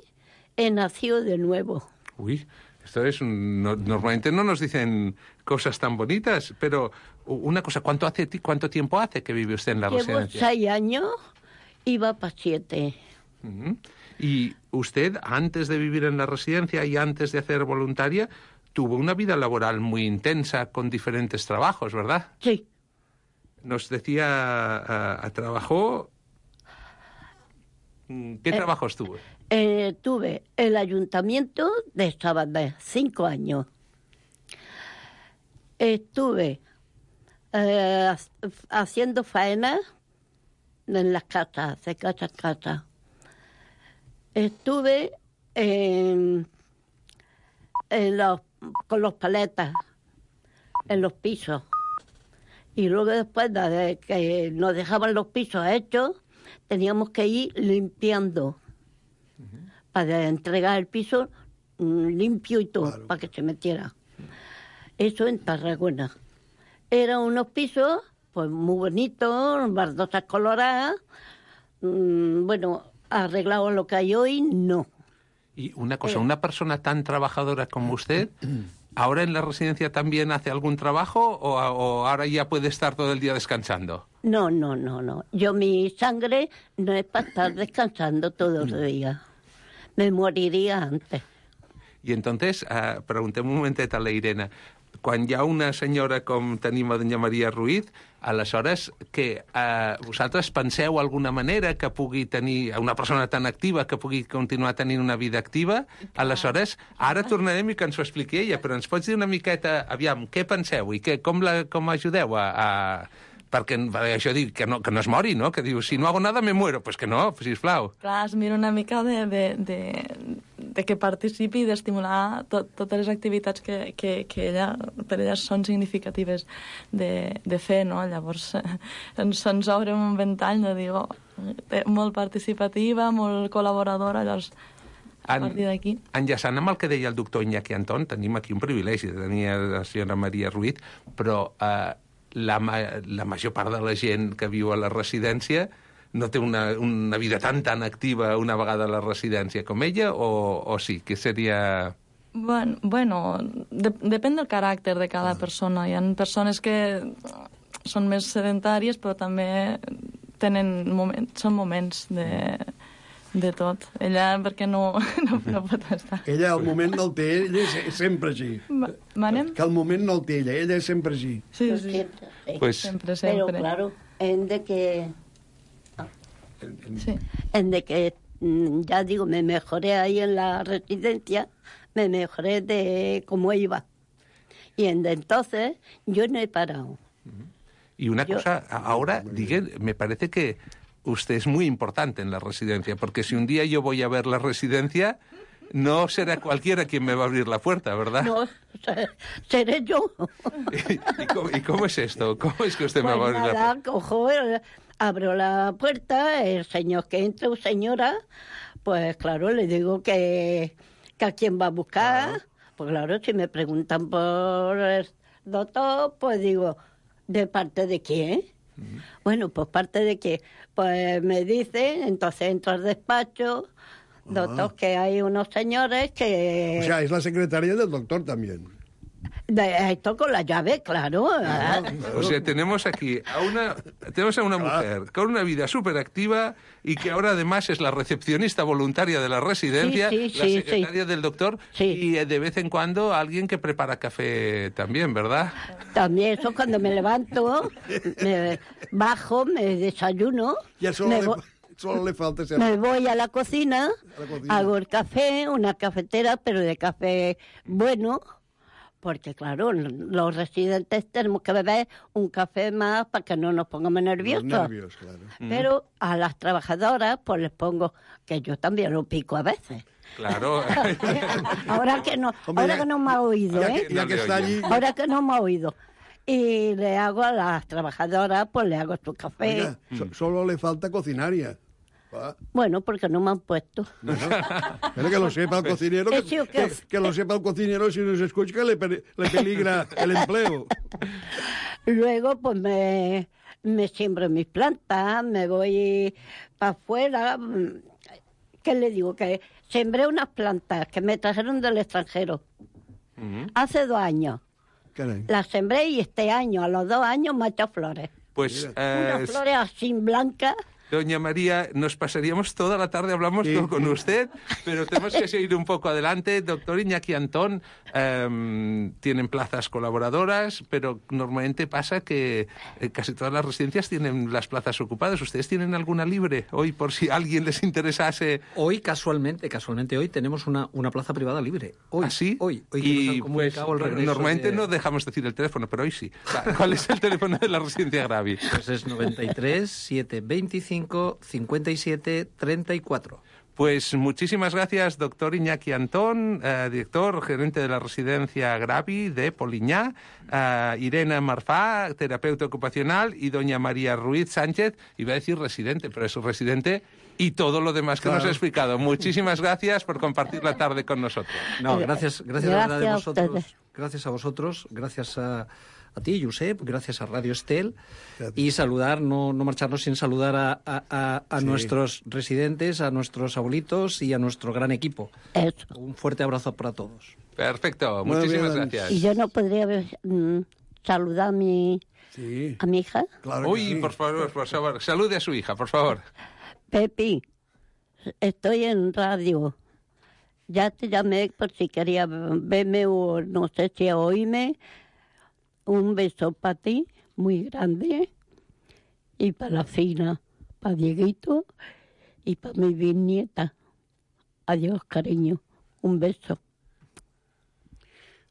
he nacido de nuevo. Uy, esto es un, no, normalmente no nos dicen cosas tan bonitas, pero una cosa, ¿cuánto hace cuánto tiempo hace que vive usted en la Llevo residencia? Llevo seis años y va para siete. Uh-huh. Y usted, antes de vivir en la residencia y antes de hacer voluntaria, tuvo una vida laboral muy intensa con diferentes trabajos, ¿verdad? Sí. Nos decía, uh, uh, trabajó... ¿Qué eh, trabajos tuvo? Eh, tuve el ayuntamiento de Sabadell, cinco años. Estuve eh, haciendo faenas en las casas, de casa a casa. Estuve en, en los, con los paletas. en los pisos. Y luego después de que nos dejaban los pisos hechos, teníamos que ir limpiando uh-huh. para entregar el piso limpio y todo, claro. para que se metiera. Eso en Tarragona. Eran unos pisos pues muy bonitos, baldosas coloradas. Mm, bueno, arreglado lo que hay hoy, no. Y una cosa, una persona tan trabajadora como usted, ¿ahora en la residencia también hace algún trabajo o, o ahora ya puede estar todo el día descansando? No, no, no, no. Yo, mi sangre no es para estar descansando todos los días. Me moriría antes. I entonces, uh, preguntem un momentet a la Irene, quan hi ha una senyora com tenim a doña Maria Ruiz, aleshores que uh, vosaltres penseu alguna manera que pugui tenir una persona tan activa que pugui continuar tenint una vida activa, aleshores ara tornarem i que ens ho expliqui ella, però ens pots dir una miqueta, aviam, què penseu i que, com, la, com ajudeu a... a perquè això diu que no, que no es mori, no? Que diu, si no hago nada me muero. Pues que no, sisplau. Clar, es mira una mica de, de, de, de que participi i d'estimular tot, totes les activitats que, que, que ella, per ella són significatives de, de fer, no? Llavors ens, ens obre un ventall de dir, oh, molt participativa, molt col·laboradora, llavors a partir d'aquí. Enllaçant amb el que deia el doctor Iñaki Antón, tenim aquí un privilegi de tenir la senyora Maria Ruiz, però... Eh, La, la major part de la gent que viu a la residència no té una, una vida tan tan activa una vegada a la residència com ella, o, o sí, que seria... Bueno, bueno de, depèn del caràcter de cada persona. Hi ha persones que són més sedentàries, però també tenen moments, són moments de... de tot. Ella, perquè no, no, no pot estar. Ella, el moment no el té, ella és sempre així. Manem? Que el moment no el té ella, ella és sempre així. Sí, sí. Siempre, sí. Pues... Siempre, siempre. Pero claro, en de que... En, en... Sí. En de que, ya digo, me mejoré ahí en la residencia, me mejoré de cómo iba. Y en de entonces yo no he parado. Y una yo... cosa, ahora, digue, me parece que usted es muy importante en la residencia, porque si un día yo voy a ver la residencia, no será cualquiera quien me va a abrir la puerta, ¿verdad? No, seré yo. ¿Y, y, cómo, ¿Y cómo es esto? ¿Cómo es que usted pues me va a abrir nada, la puerta? Cojo, abro la puerta, el señor que entra, o señora, pues claro, le digo que, que a quién va a buscar. Claro. Pues claro, si me preguntan por el doctor, pues digo, ¿de parte de quién? Uh-huh. Bueno, pues parte de que pues me dicen, entonces entro al despacho, uh-huh. doctor, que hay unos señores que... O sea, es la secretaria del doctor también. De esto con la llave, claro. Ah, o sea, tenemos aquí a una, tenemos a una mujer con una vida súper activa y que ahora además es la recepcionista voluntaria de la residencia, sí, sí, la sí, secretaria sí. del doctor sí. y de vez en cuando alguien que prepara café también, ¿verdad? También eso cuando me levanto, me bajo, me desayuno. Ya solo, me le, vo- solo le falta ser... Me voy a la cocina, a la cocina, hago el café, una cafetera, pero de café bueno. Porque, claro, los residentes tenemos que beber un café más para que no nos pongamos nerviosos. Los nervios, claro. Pero a las trabajadoras, pues les pongo, que yo también lo pico a veces. Claro. ahora que no, Hombre, ahora ya, que no me ha oído, ya ¿eh? Que, ya que está allí... Ahora que no me ha oído. Y le hago a las trabajadoras, pues le hago su café. Oiga, so, solo le falta cocinaria. Bueno, porque no me han puesto. No, no. Pero que lo sepa el cocinero, que, que, que, que lo sepa el cocinero, si nos escucha, que le, le peligra el empleo. Luego, pues me, me siembro mis plantas, me voy para afuera. ¿Qué le digo? Que sembré unas plantas que me trajeron del extranjero uh-huh. hace dos años. Caray. Las sembré y este año, a los dos años, me ha hecho flores. Pues, eh, unas flores así blancas. Doña María, nos pasaríamos toda la tarde, hablamos sí. con usted, pero tenemos que seguir un poco adelante. Doctor Iñaki Antón, eh, tienen plazas colaboradoras, pero normalmente pasa que eh, casi todas las residencias tienen las plazas ocupadas. ¿Ustedes tienen alguna libre hoy, por si a alguien les interesase? Hoy, casualmente, casualmente hoy tenemos una, una plaza privada libre. Hoy, ¿Ah, sí? Hoy. hoy y pues, el regreso normalmente de... no dejamos decir el teléfono, pero hoy sí. ¿Cuál es el teléfono de la residencia Gravi? Pues es noventa y tres, setecientos veinticinco, cincuenta y siete, treinta y cuatro. Pues muchísimas gracias, doctor Iñaki Antón, eh, director, gerente de la residencia Gravi de Poliñá, eh, Irene Marfá, terapeuta ocupacional, y doña María Ruiz Sánchez, iba a decir residente, pero es su residente, y todo lo demás que claro. nos ha explicado. Muchísimas gracias por compartir la tarde con nosotros. No, gracias, gracias, gracias a, a vosotros, gracias a vosotros, gracias a... a ti, Josep, gracias a Radio Estel, y saludar, no, no marcharnos sin saludar a, a, a sí. nuestros residentes, a nuestros abuelitos y a nuestro gran equipo. Eso. Un fuerte abrazo para todos. Perfecto, muchísimas bien, gracias. Y yo no podría mm, saludar a mi, sí. a mi hija. Claro Uy, sí. por favor, por favor, salude a su hija, por favor. Pepi, estoy en radio. Ya te llamé por si quería verme o no sé si oírme. Un beso para ti, muy grande, y para la Fina, para Dieguito y para mi bisnieta. Adiós, cariño. Un beso.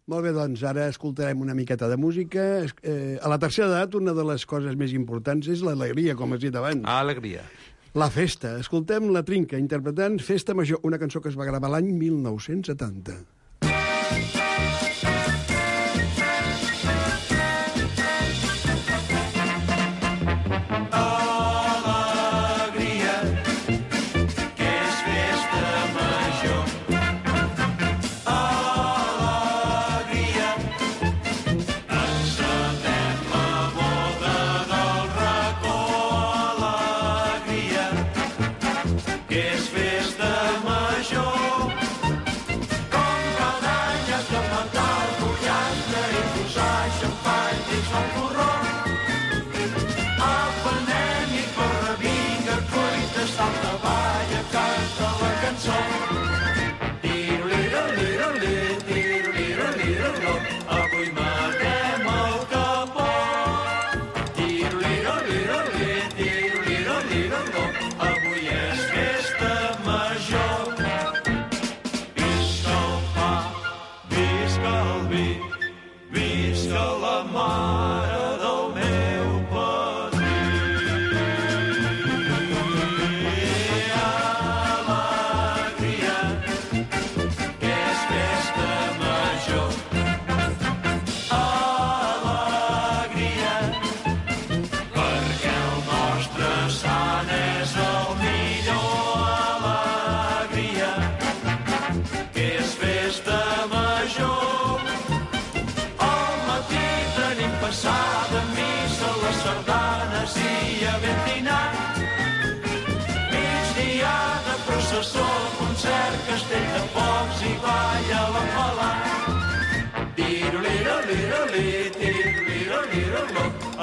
Molt bé, doncs ara escoltarem una miqueta de música. Eh, a la tercera edat, una de les coses més importants és l'alegria, com has dit abans. Alegria. La festa. Escoltem La Trinca, interpretant Festa Major, una cançó que es va gravar l'any mil nou-cents setanta.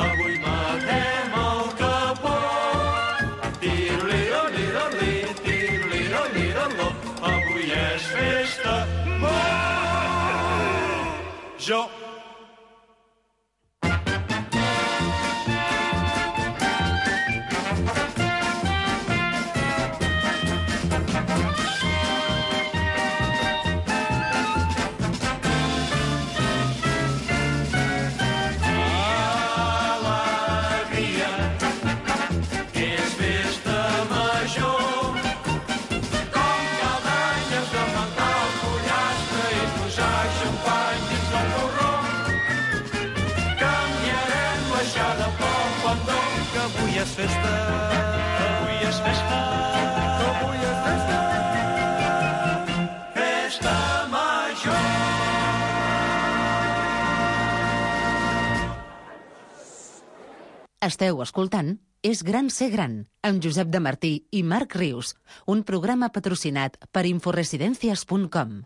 Avui matem el capó. Tiroliro-liro-li, tiroliro-liro-lo. Avui és festa major. És festa, avui és festa, avui és festa, festa major. Esteu escoltant És gran ser gran, amb Josep de Martí i Marc Rius, un programa patrocinat per inforesidencias punt com.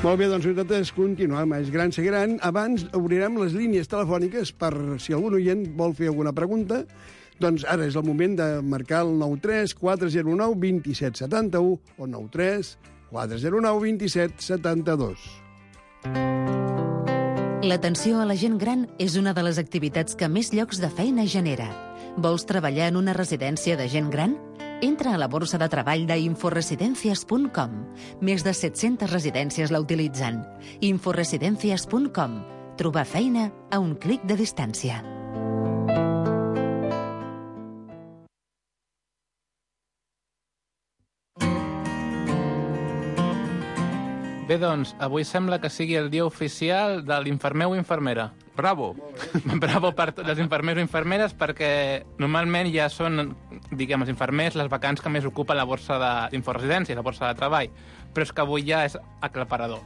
Molt bé, doncs nosaltres continuem. És gran ser gran. Abans obrirem les línies telefòniques per si algun oient vol fer alguna pregunta. Doncs ara és el moment de marcar el nou tres quatre zero nou dos set set u o nou tres quatre zero nou dos set set dos. L'atenció a la gent gran és una de les activitats que més llocs de feina genera. Vols treballar en una residència de gent gran? Entra a la borsa de treball d'inforesidencias punt com. Més de set-centes residències la utilitzen. inforesidencias punt com. Trobar feina a un clic de distància. Bé, doncs, avui sembla que sigui el dia oficial de l'infermer o infermera. Bravo! Bravo per tots els infermers o infermeres, perquè normalment ja són, diguem, els infermers les vacants que més ocupa la borsa d'inforesidència, la borsa de treball, però és que avui ja és aclaparador.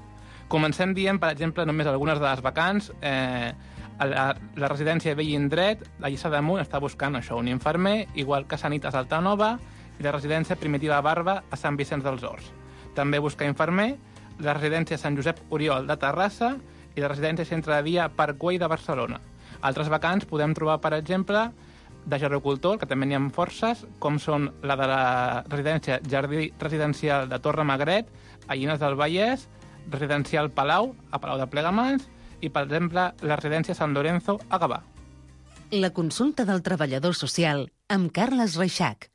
Comencem dient, per exemple, només algunes de les vacants. Eh, a la, la residència Vell Indret, a Lliçà d'Amunt, està buscant això, un infermer, igual que Sanitas Altanova, i la residència Primitiva Barba a Sant Vicenç dels Horts. També busca infermer la residència Sant Josep Oriol de Terrassa i la residència Centre de Dia Parc Güell de Barcelona. Altres vacants podem trobar, per exemple, de gerocultor, que també n'hi ha forces, com són la de la residència Jardí Residencial de Torre Magret, a Llinars del Vallès, residencial Palau, a Palau de Plegamans, i, per exemple, la residència Sant Lorenzo, a Gavà. La consulta del treballador social amb Carles Reixac.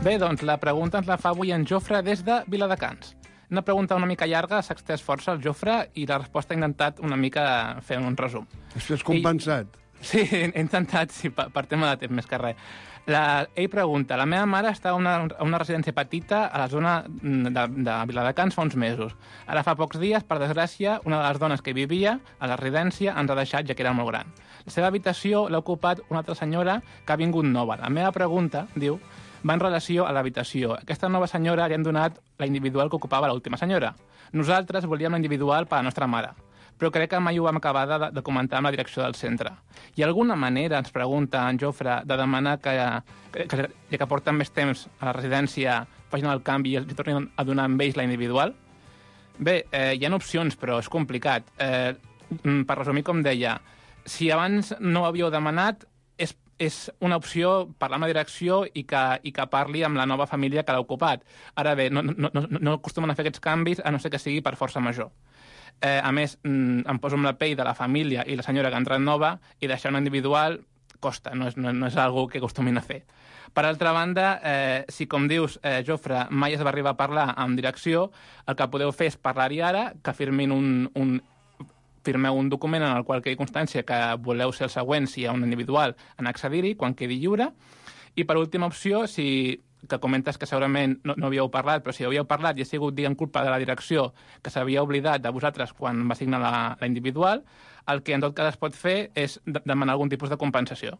Bé, doncs la pregunta ens la fa avui en Jofre des de Viladecans. Una pregunta una mica llarga, s'ha extès força el Jofre i la resposta ha intentat una mica fer un resum. Això és compensat. I, sí, he intentat, sí, per, per tema de temps més que res. La, ell pregunta, la meva mare està a una, a una residència petita a la zona de, de Viladecans fa uns mesos. Ara fa pocs dies, per desgràcia, una de les dones que hi vivia a la residència ens ha deixat, ja que era molt gran. La seva habitació l'ha ocupat una altra senyora que ha vingut nova. La meva pregunta, diu, va en relació a l'habitació. Aquesta nova senyora li han donat la individual que ocupava l'última senyora. Nosaltres volíem la individual per a la nostra mare, però crec que mai ho vam acabar de, de comentar amb la direcció del centre. Hi ha alguna manera, ens pregunta en Jofre, de demanar que, que, que ja que porten més temps a la residència, facin el canvi i els tornin a donar amb ells la individual? Bé, eh, hi ha opcions, però és complicat. Eh, per resumir, com deia, si abans no ho havíeu demanat, és és una opció parlar amb la direcció i que, i que parli amb la nova família que l'ha ocupat. Ara bé, no, no, no, no acostumen a fer aquests canvis a no ser que sigui per força major. Eh, a més, em poso amb la pell de la família i la senyora que ha entrat nova i deixar una individual costa, no és, no, no és algo que acostumin a fer. Per altra banda, eh, si com dius, eh, Jofre, mai es va arribar a parlar amb direcció, el que podeu fer és parlar-hi ara, que firmin un, un firmeu un document en el qual quedi constància que voleu ser el següent, si hi ha un individual, en accedir-hi, quan quedi lliure. I per última opció, si que comentes que segurament no, no havíeu parlat, però si havíeu parlat i ha sigut, diguem, culpa de la direcció, que s'havia oblidat de vosaltres quan va signar la, la individual, el que en tot cas es pot fer és de, demanar algun tipus de compensació.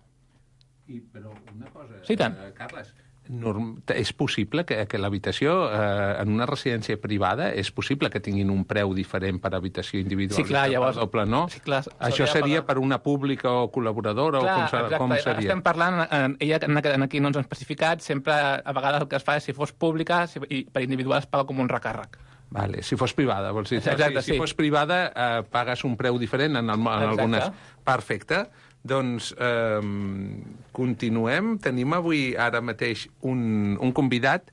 I, però una cosa, sí, tant. Uh, Carles, Norm, és possible que, que l'habitació eh, en una residència privada és possible que tinguin un preu diferent per habitació individual? Sí, clar, llavors... Doble, no? Sí, clar, això seria per una pública o col·laboradora? Clar, o com, exacte, com seria? Estem parlant, eh, ella aquí no ens ha especificat, sempre a vegades el que es fa és si fos pública si, i per individual es paga com un recàrrec. Vale, si fos privada, vols dir? Exacte, si, sí. Si fos privada, eh, pagues un preu diferent en, el, en algunes... Perfecte. Doncs eh, continuem. Tenim avui ara mateix un, un convidat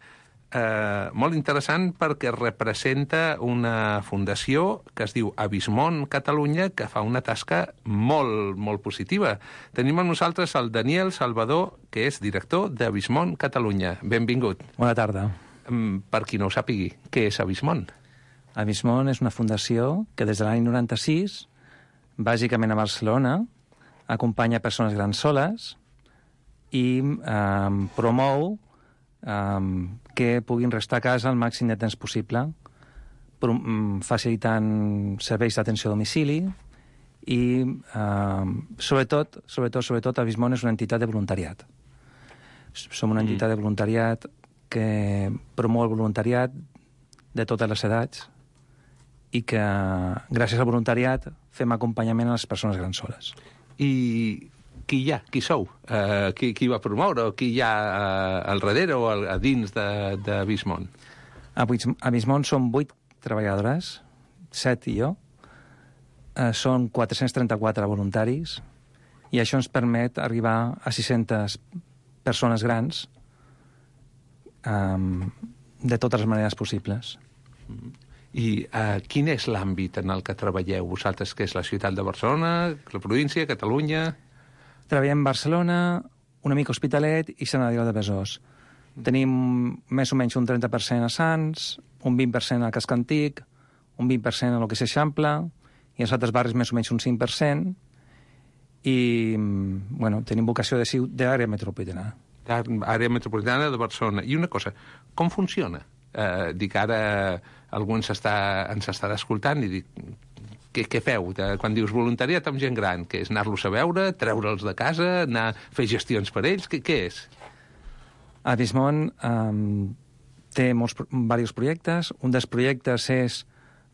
eh, molt interessant perquè representa una fundació que es diu Avismon Catalunya, que fa una tasca molt, molt positiva. Tenim amb nosaltres el Daniel Salvador, que és director d'Avismon Catalunya. Benvingut. Bona tarda. Per qui no ho sàpigui, què és Avismon? Avismon és una fundació que des de l'any noranta-sis, bàsicament a Barcelona, acompanya persones grans soles i eh, promou eh, que puguin restar a casa el màxim de temps possible, facilitant serveis d'atenció a domicili i, eh, sobretot, sobretot, sobretot, Avismon és una entitat de voluntariat. Som una entitat de voluntariat que promou el voluntariat de totes les edats i que, gràcies al voluntariat, fem acompanyament a les persones grans soles. I qui hi ha? Qui sou? Uh, qui, qui va promoure? O qui hi ha uh, al darrere o al, a dins d'Avismon? A Avismon som vuit treballadores, set i jo. Uh, són quatre-cents trenta-quatre voluntaris i això ens permet arribar a sis-centes persones grans um, de totes les maneres possibles. Mm-hmm. I uh, quin és l'àmbit en el que treballeu vosaltres, que és la ciutat de Barcelona, la província, Catalunya? Treballem a Barcelona, una mica Hospitalet i Sant Adrià de Besòs. Mm. Tenim més o menys un trenta per cent a Sants, un vint per cent a Casc Antic, un vint per cent a lo que és Eixample, i als altres barris més o menys un cinc per cent, i bueno, tenim vocació de d'àrea metropolitana. Àrea metropolitana de Barcelona. I una cosa, com funciona? Eh, dic, ara algú ens, està, ens estarà escoltant i dic, què, què feu? Quan dius voluntariat amb gent gran, què és? Anar-los a veure, treure'ls de casa, anar a fer gestions per ells? Què, què és? A Bismont um, té molts, diversos projectes. Un dels projectes és,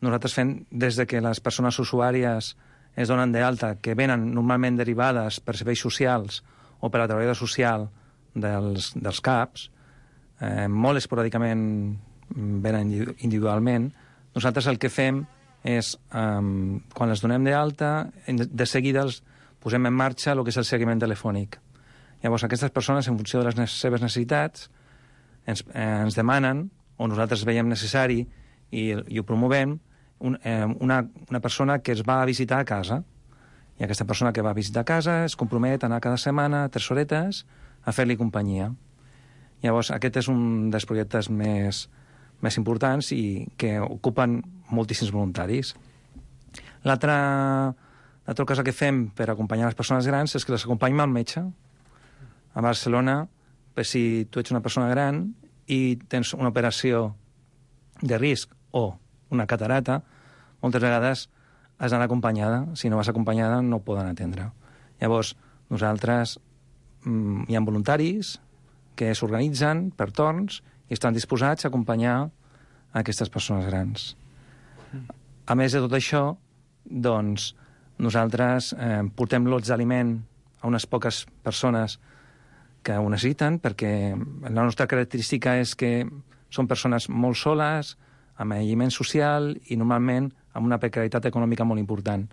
nosaltres fem des de que les persones usuàries es donen d'alta, que venen normalment derivades per serveis socials o per la treballadora social dels, dels C A Ps, eh, molt esporàdicament venen individualment. Nosaltres el que fem és, um, quan les donem d'alta, de seguida els posem en marxa el que és el seguiment telefònic. Llavors, aquestes persones, en funció de les seves necessitats, ens, eh, ens demanen, o nosaltres veiem necessari, i, i ho promovem, un, eh, una, una persona que es va a visitar a casa. I aquesta persona que va a visitar a casa es compromet a anar cada setmana, tres horetes, a fer-li companyia. Llavors, aquest és un dels projectes més, més importants i que ocupen moltíssims voluntaris. L'altra cosa que fem per acompanyar les persones grans és que les acompanyem al metge. A Barcelona, per si tu ets una persona gran i tens una operació de risc o una catarata, moltes vegades has d'anar acompanyada. Si no vas acompanyada, no poden atendre. Llavors, nosaltres mm, hi ha voluntaris que s'organitzen per torns i estan disposats a acompanyar aquestes persones grans. A més de tot això, doncs, nosaltres eh, portem lots d'aliment a unes poques persones que ho necessiten, perquè la nostra característica és que són persones molt soles, amb aïllament social i normalment amb una precarietat econòmica molt important.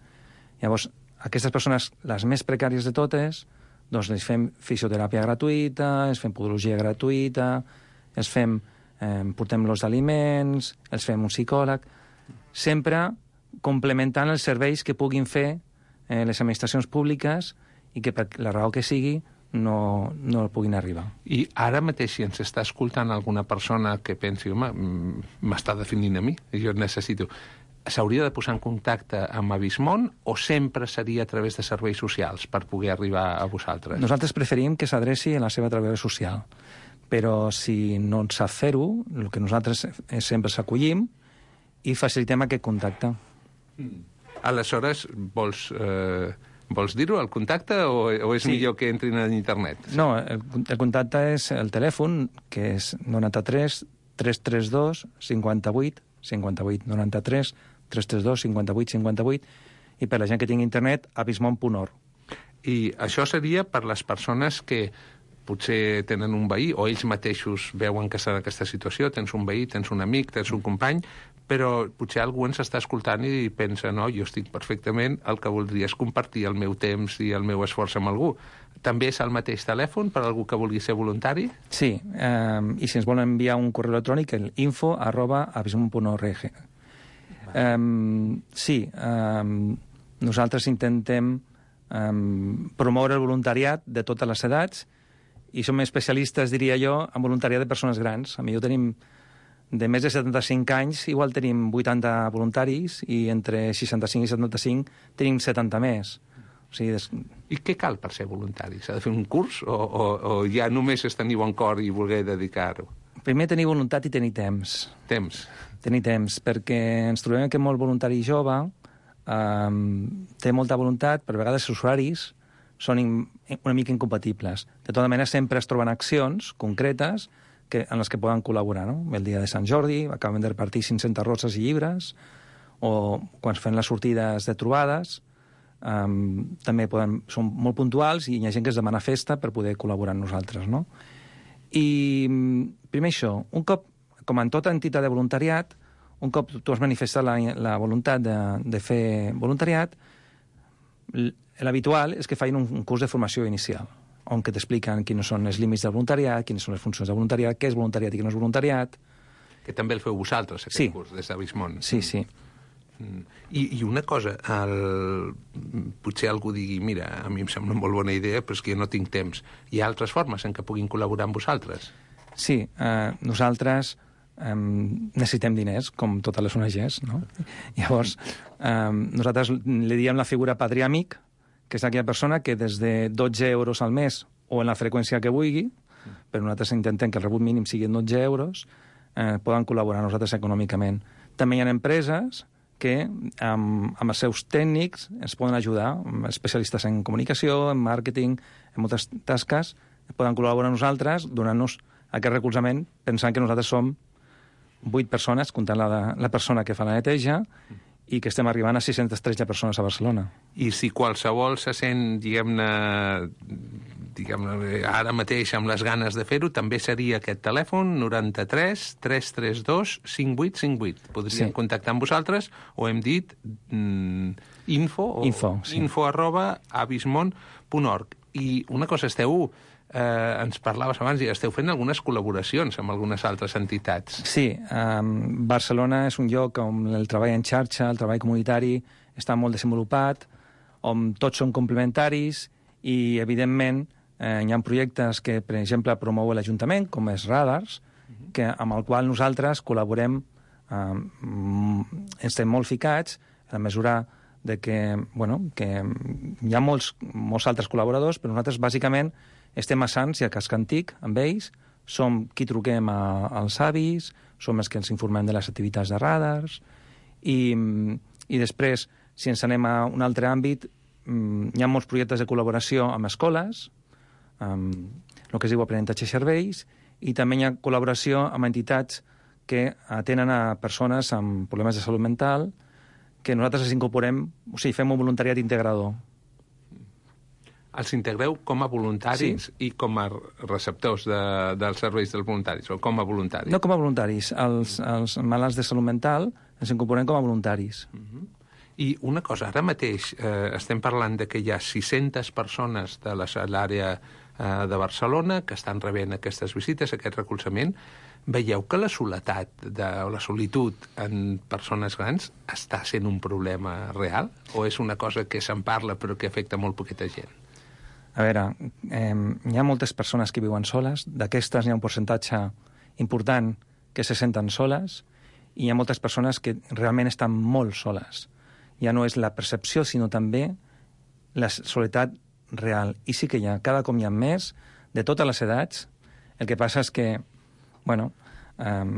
Llavors, aquestes persones, les més precàries de totes, doncs els fem fisioteràpia gratuïta, els fem podologia gratuïta, els fem, eh, portem los d'aliments, els fem un psicòleg, sempre complementant els serveis que puguin fer eh, les administracions públiques i que per la raó que sigui no, no puguin arribar. I ara mateix, si ens està escoltant alguna persona que pensi, home, m'està definint a mi, jo necessito... S'hauria de posar en contacte amb Abismont o sempre seria a través de serveis socials per poder arribar a vosaltres? Nosaltres preferim que s'adreci a la seva treballadora social, però si no en sap fer-ho, el que nosaltres sempre s'acollim i facilitem aquest contacte. Mm. Aleshores, vols... Eh... Vols dir-ho, el contacte, o, o és sí. millor que entrin en internet? No, el, el contacte és el telèfon, que és noranta-tres tres tres dos cinquanta-vuit cinquanta-vuit, noranta-tres tres tres dos cinquanta-vuit cinquanta-vuit, i per la gent que tingui internet, abismont punt org. I això seria per les persones que potser tenen un veí, o ells mateixos veuen que està en aquesta situació, tens un veí, tens un amic, tens un company, però potser algú ens està escoltant i pensa, no, jo estic perfectament, el que voldria és compartir el meu temps i el meu esforç amb algú. També és el mateix telèfon per a algú que vulgui ser voluntari? Sí, eh, i si ens volen enviar un correu electrònic, el info arroba abismont punt org. Eh, sí, eh, nosaltres intentem eh, promoure el voluntariat de totes les edats i som especialistes, diria jo, en voluntariat de persones grans. A millor tenim de més de setanta-cinc anys, igual tenim vuitanta voluntaris i entre seixanta-cinc i setanta-cinc tenim setanta més. O sigui, des... I què cal per ser voluntari? S'ha de fer un curs o, o, o ja només és tenir bon cor i voler dedicar-ho? Primer tenir voluntat i tenir temps. Temps. Tenir temps, perquè ens trobem que molt voluntari jove eh, té molta voluntat, però a vegades els usuaris són una mica incompatibles. De tota manera, sempre es troben accions concretes que, en les que poden col·laborar, no? El dia de Sant Jordi acaben de repartir cinc-centes roses i llibres, o quan fan les sortides de trobades, um, també poden, són molt puntuals i hi ha gent que es demana festa per poder col·laborar amb nosaltres, no? I primer això, un cop, com en tota entitat de voluntariat, un cop tu has manifestat la, la voluntat de, de fer voluntariat, l'habitual és que facin un, un curs de formació inicial, on que t'expliquen quins són els límits del voluntariat, quines són les funcions del voluntariat, què és voluntariat i què no és voluntariat. Que també el feu vosaltres, aquest sí. curs, des d'Abismont. Sí, sí. Mm. I, I una cosa, el... potser algú digui, mira, a mi em sembla una molt bona idea, però és que jo no tinc temps. Hi ha altres formes en què puguin col·laborar amb vosaltres? Sí, eh, nosaltres eh, necessitem diners, com totes les O N Ges, no? Llavors, eh, nosaltres li diem la figura padrí-amic, que és aquella persona que des de dotze euros al mes o en la freqüència que vulgui però nosaltres intentem que el rebut mínim sigui dotze euros, eh, poden col·laborar nosaltres econòmicament. També hi ha empreses que amb, amb els seus tècnics ens poden ajudar, especialistes en comunicació, en màrqueting, en moltes tasques, poden col·laborar amb nosaltres donant-nos aquest recolzament pensant que nosaltres som vuit persones, comptant la, la persona que fa la neteja, i que estem arribant a sis-centes tretze persones a Barcelona. I si qualsevol se sent, diguem-ne, diguem-ne, ara mateix amb les ganes de fer-ho, també seria aquest telèfon, noranta-tres tres tres dos cinc vuit cinc vuit. Podrien sí. contactar amb vosaltres, o hem dit mm, info, o info, sí. info arroba abismont punt org. I una cosa, esteu... Eh, ens parlaves abans i esteu fent algunes col·laboracions amb algunes altres entitats. Sí, um, Barcelona és un lloc on el treball en xarxa, el treball comunitari està molt desenvolupat, on tots són complementaris i, evidentment, eh, hi ha projectes que, per exemple, promou l'Ajuntament, com és Radars, que, amb el qual nosaltres col·laborem, um, estem molt ficats, a mesura de que, bueno, que hi ha molts, molts altres col·laboradors, però nosaltres, bàsicament, estem a Sants i a Casc Antic amb ells, som qui truquem a, als avis, som els que ens informem de les activitats de radars, i, i després, si ens anem a un altre àmbit, hi ha molts projectes de col·laboració amb escoles, amb el que es diu aprenentatge i serveis, i també hi ha col·laboració amb entitats que atenen a persones amb problemes de salut mental, que nosaltres els incorporem, o sigui, fem un voluntariat integrador. Els integreu com a voluntaris sí. i com a receptors de, dels serveis dels voluntaris, o com a voluntaris? No com a voluntaris. Els, els malalts de salut mental ens incorporem com a voluntaris. Uh-huh. I una cosa, ara mateix eh, estem parlant de que hi ha sis-centes persones de l'àrea eh, de Barcelona que estan rebent aquestes visites, aquest recolzament. Veieu que la soledat de, o la solitud en persones grans està sent un problema real? O és una cosa que se'n parla però que afecta molt poqueta gent? A veure, eh, hi ha moltes persones que viuen soles, d'aquestes hi ha un percentatge important que se senten soles, i hi ha moltes persones que realment estan molt soles. Ja no és la percepció, sinó també la soledat real. I sí que hi ha, cada cop hi ha més, de totes les edats. El que passa és que, bueno, eh,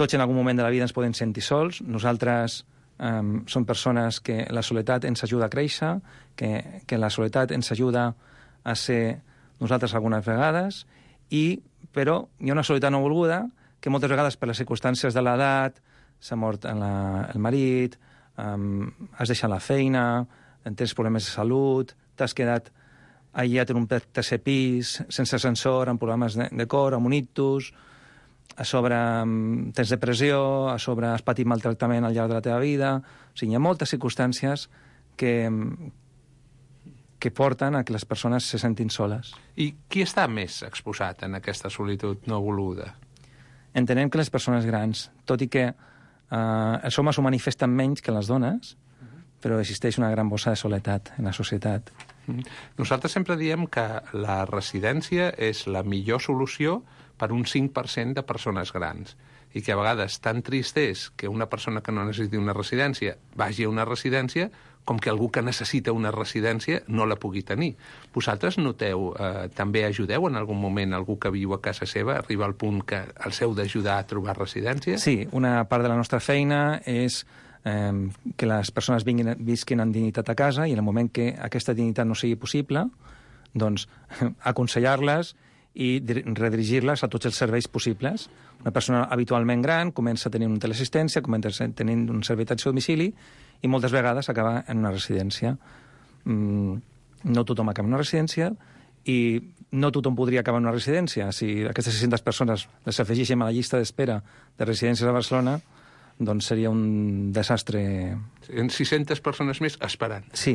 tots en algun moment de la vida ens podem sentir sols. Nosaltres Um, són persones que la soledat ens ajuda a créixer, que, que la soledat ens ajuda a ser nosaltres algunes vegades, i, però hi ha una soledat no volguda que moltes vegades per les circumstàncies de l'edat, s'ha mort la, el marit, um, has deixat la feina, tens problemes de salut, t'has quedat aïllat en un tercer pis, sense ascensor, amb problemes de, de cor, amb un ictus, a sobre tens depressió, a sobre has patit maltractament al llarg de la teva vida. O sigui, hi ha moltes circumstàncies que, que porten a que les persones se sentin soles. I qui està més exposat en aquesta solitud no voluda? Entenem que les persones grans, tot i que eh, els homes ho manifesten menys que les dones, però existeix una gran bossa de soledat en la societat. Nosaltres sempre diem que la residència és la millor solució per un cinc per cent de persones grans, i que a vegades tan trist és que una persona que no necessiti una residència vagi a una residència com que algú que necessita una residència no la pugui tenir. Vosaltres noteu, eh, també ajudeu en algun moment algú que viu a casa seva, arriba al punt que els heu d'ajudar a trobar residència? Sí, una part de la nostra feina és eh, que les persones vinguin, visquin en dignitat a casa, i en el moment que aquesta dignitat no sigui possible, doncs aconsellar-les i redirigir-les a tots els serveis possibles. Una persona habitualment gran comença a tenir una teleassistència, comença a tenir un servei d'atenció a domicili, i moltes vegades acaba en una residència. Mm, no tothom acaba en una residència, i no tothom podria acabar en una residència. Si aquestes sis-centes persones les afegíssim a la llista d'espera de residències a Barcelona, doncs seria un desastre. Serien sis-centes persones més esperant. Sí,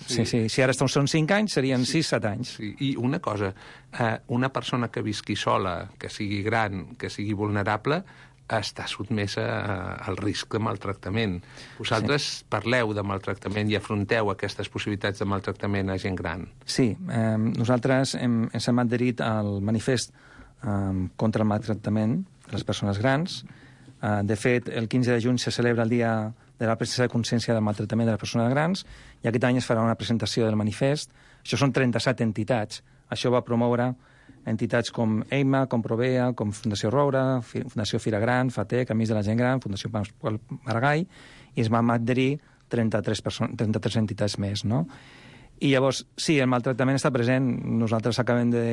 sí, sí. Si ara són cinc anys, serien sis set anys. Sí. I una cosa, eh, una persona que visqui sola, que sigui gran, que sigui vulnerable, està sotmesa al risc de maltractament. Vosaltres sí. parleu de maltractament i afronteu aquestes possibilitats de maltractament a gent gran. Sí, eh, nosaltres hem, ens hem adherit al manifest eh, contra el maltractament de les persones grans. Uh, de fet, el quinze de juny se celebra el Dia de la Presa de Consciència del Maltractament de les Persones Grans, i aquest any es farà una presentació del manifest. Això són trenta-set entitats. Això va promoure entitats com EIMA, com Provea, com Fundació Roura, Fundació Fira Gran, FATEC, Amics de la Gent Gran, Fundació Pasqual Maragall, i es van adherir trenta-tres, trenta-tres entitats més, no? I llavors, sí, el maltractament està present. Nosaltres acabem de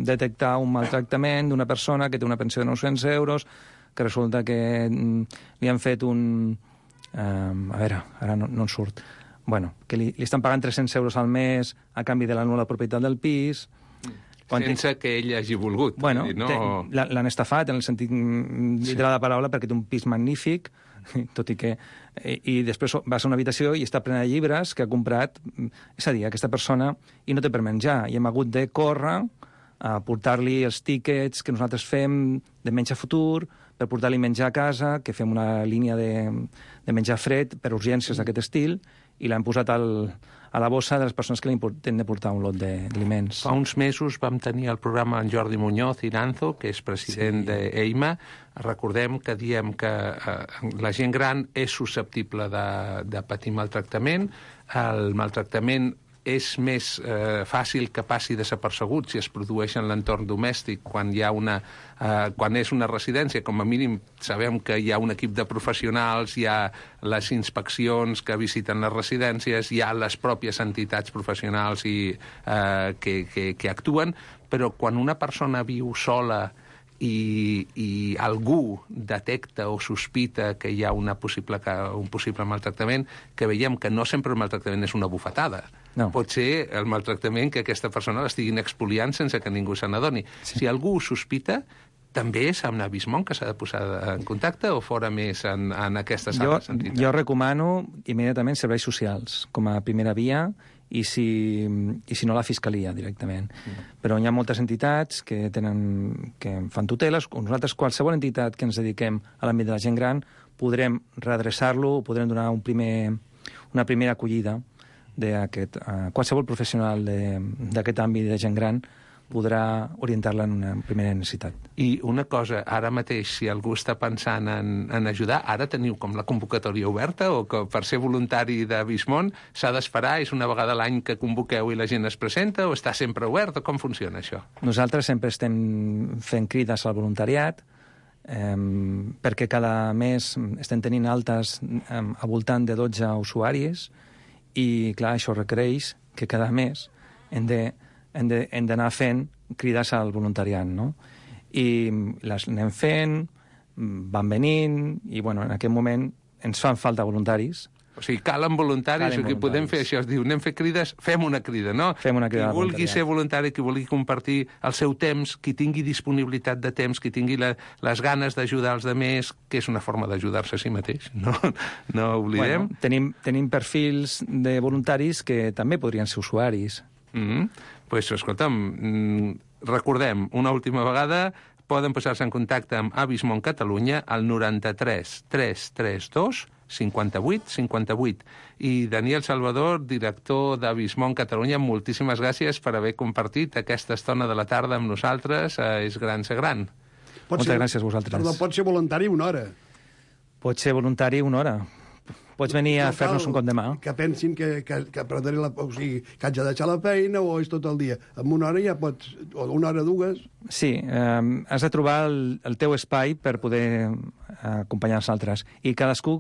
detectar un maltractament d'una persona que té una pensió de nou-cents euros, que resulta que li han fet un... Um, a veure, ara no, no en surt. Bueno, que li, li estan pagant tres-cents euros al mes a canvi de la nul·la propietat del pis... Sense té... que ell hagi volgut. Bueno, no... l'han estafat en el sentit literal de la paraula, perquè té un pis magnífic, tot i que... I, i després vas a una habitació i està plena de llibres que ha comprat, és a dir, aquesta persona, i no té per menjar. I hem hagut de córrer a portar-li els tíquets que nosaltres fem de menjar futur, per portar-li menjar a casa, que fem una línia de, de menjar fred per urgències d'aquest estil, i l'hem posat al, a la bossa de les persones que li tenen de portar un lot d'aliments. Fa uns mesos vam tenir el programa en Jordi Muñoz Iranzo, que és president sí. d'EIMA. Recordem que diem que eh, la gent gran és susceptible de, de patir maltractament. El maltractament és més eh, fàcil que passi desapercebut si es produeix en l'entorn domèstic. Quan hi ha una, eh, quan és una residència, com a mínim sabem que hi ha un equip de professionals, hi ha les inspeccions que visiten les residències, hi ha les pròpies entitats professionals i, eh, que, que, que actuen, però quan una persona viu sola i, i algú detecta o sospita que hi ha una possible, un possible maltractament, que veiem que no sempre el maltractament és una bufetada. No. Pot ser el maltractament que aquesta persona l'estiguin expoliant sense que ningú se n'adoni. Sí. Si algú ho sospita, també és amb Navismont que s'ha de posar en contacte o fora més en, en aquestes jo, altres entitats? Jo recomano immediatament serveis socials com a primera via i si, i si no la Fiscalia directament. Mm. Però hi ha moltes entitats que, tenen, que fan tuteles. Nosaltres, qualsevol entitat que ens dediquem a l'àmbit de la gent gran, podrem redreçar-lo, podrem donar un primer, una primera acollida d'aquest... Uh, qualsevol professional d'aquest àmbit de gent gran podrà orientar-la en una primera necessitat. I una cosa, ara mateix, si algú està pensant en, en ajudar, ara teniu com la convocatòria oberta o que per ser voluntari de Vismont s'ha d'esperar, és una vegada a l'any que convoqueu i la gent es presenta o està sempre obert o com funciona això? Nosaltres sempre estem fent crides al voluntariat eh, perquè cada mes estem tenint altes eh, al voltant de dotze usuaris i, clar, això requereix que cada mes hem de hem d'anar fent crides al voluntariat, no? I les anem fent, van venint, i, bueno, en aquest moment ens fan falta voluntaris. O sigui, calen voluntaris, calen o que podem fer això, es diu, anem a fer crides, fem una crida, no? Fem una crida. Qui vulgui ser voluntari, qui vulgui compartir el seu temps, qui tingui disponibilitat de temps, qui tingui la, les ganes d'ajudar els altres, que és una forma d'ajudar-se a si mateix, no, no oblidem. Bueno, tenim, tenim perfils de voluntaris que també podrien ser usuaris. Mm-hmm. Pues, escolta'm, recordem, una última vegada, poden posar-se en contacte amb Avismont Catalunya al noranta-tres tres trenta dos cinquanta-vuit cinquanta-vuit. I Daniel Salvador, director d'Avismont Catalunya, moltíssimes gràcies per haver compartit aquesta estona de la tarda amb nosaltres. Eh, és gran ser gran. Pot Moltes ser, gràcies a vosaltres. Perdó, pot ser voluntari una hora. Pot ser voluntari una hora. Pots venir a no fer-nos un cop de mà. Que pensin que, que, que, la, o sigui, que haig de deixar la feina o és tot el dia. En una hora ja pots... O una hora, dues... Sí, eh, has de trobar el, el teu espai per poder acompanyar els altres. I cadascú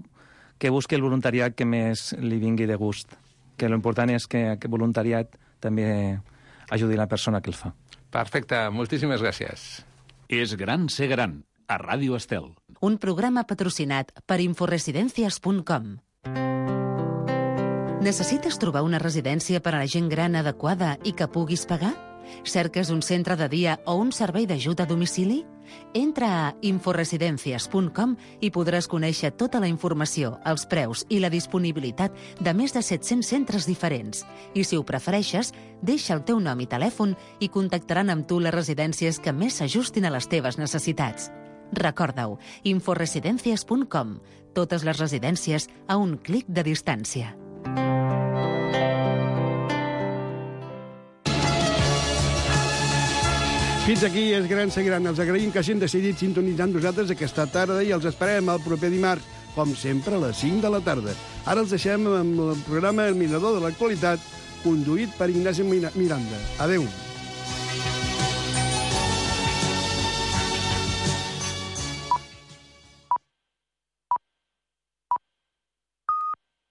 que busqui el voluntariat que més li vingui de gust. Que l'important és que aquest voluntariat també ajudi la persona que el fa. Perfecte, moltíssimes gràcies. És gran ser gran, a Ràdio Estel. Un programa patrocinat per inforesidencias punt com. Necessites trobar una residència per a la gent gran adequada i que puguis pagar? Cerques un centre de dia o un servei d'ajuda a domicili? Entra a inforesidencias punt com i podràs conèixer tota la informació, els preus i la disponibilitat de més de set-cents centres diferents. I si ho prefereixes, deixa el teu nom i telèfon i contactaran amb tu les residències que més s'ajustin a les teves necessitats. Recorda-ho, inforesidencias punt com. Totes les residències a un clic de distància. Fins aquí és gran ser gran. Els agraïm que hagin decidit sintonitzar amb nosaltres aquesta tarda i els esperem el proper dimarts, com sempre, a les cinc de la tarda. Ara els deixem amb el programa El Mirador de l'Actualitat, conduït per Ignasi Miranda. Adéu.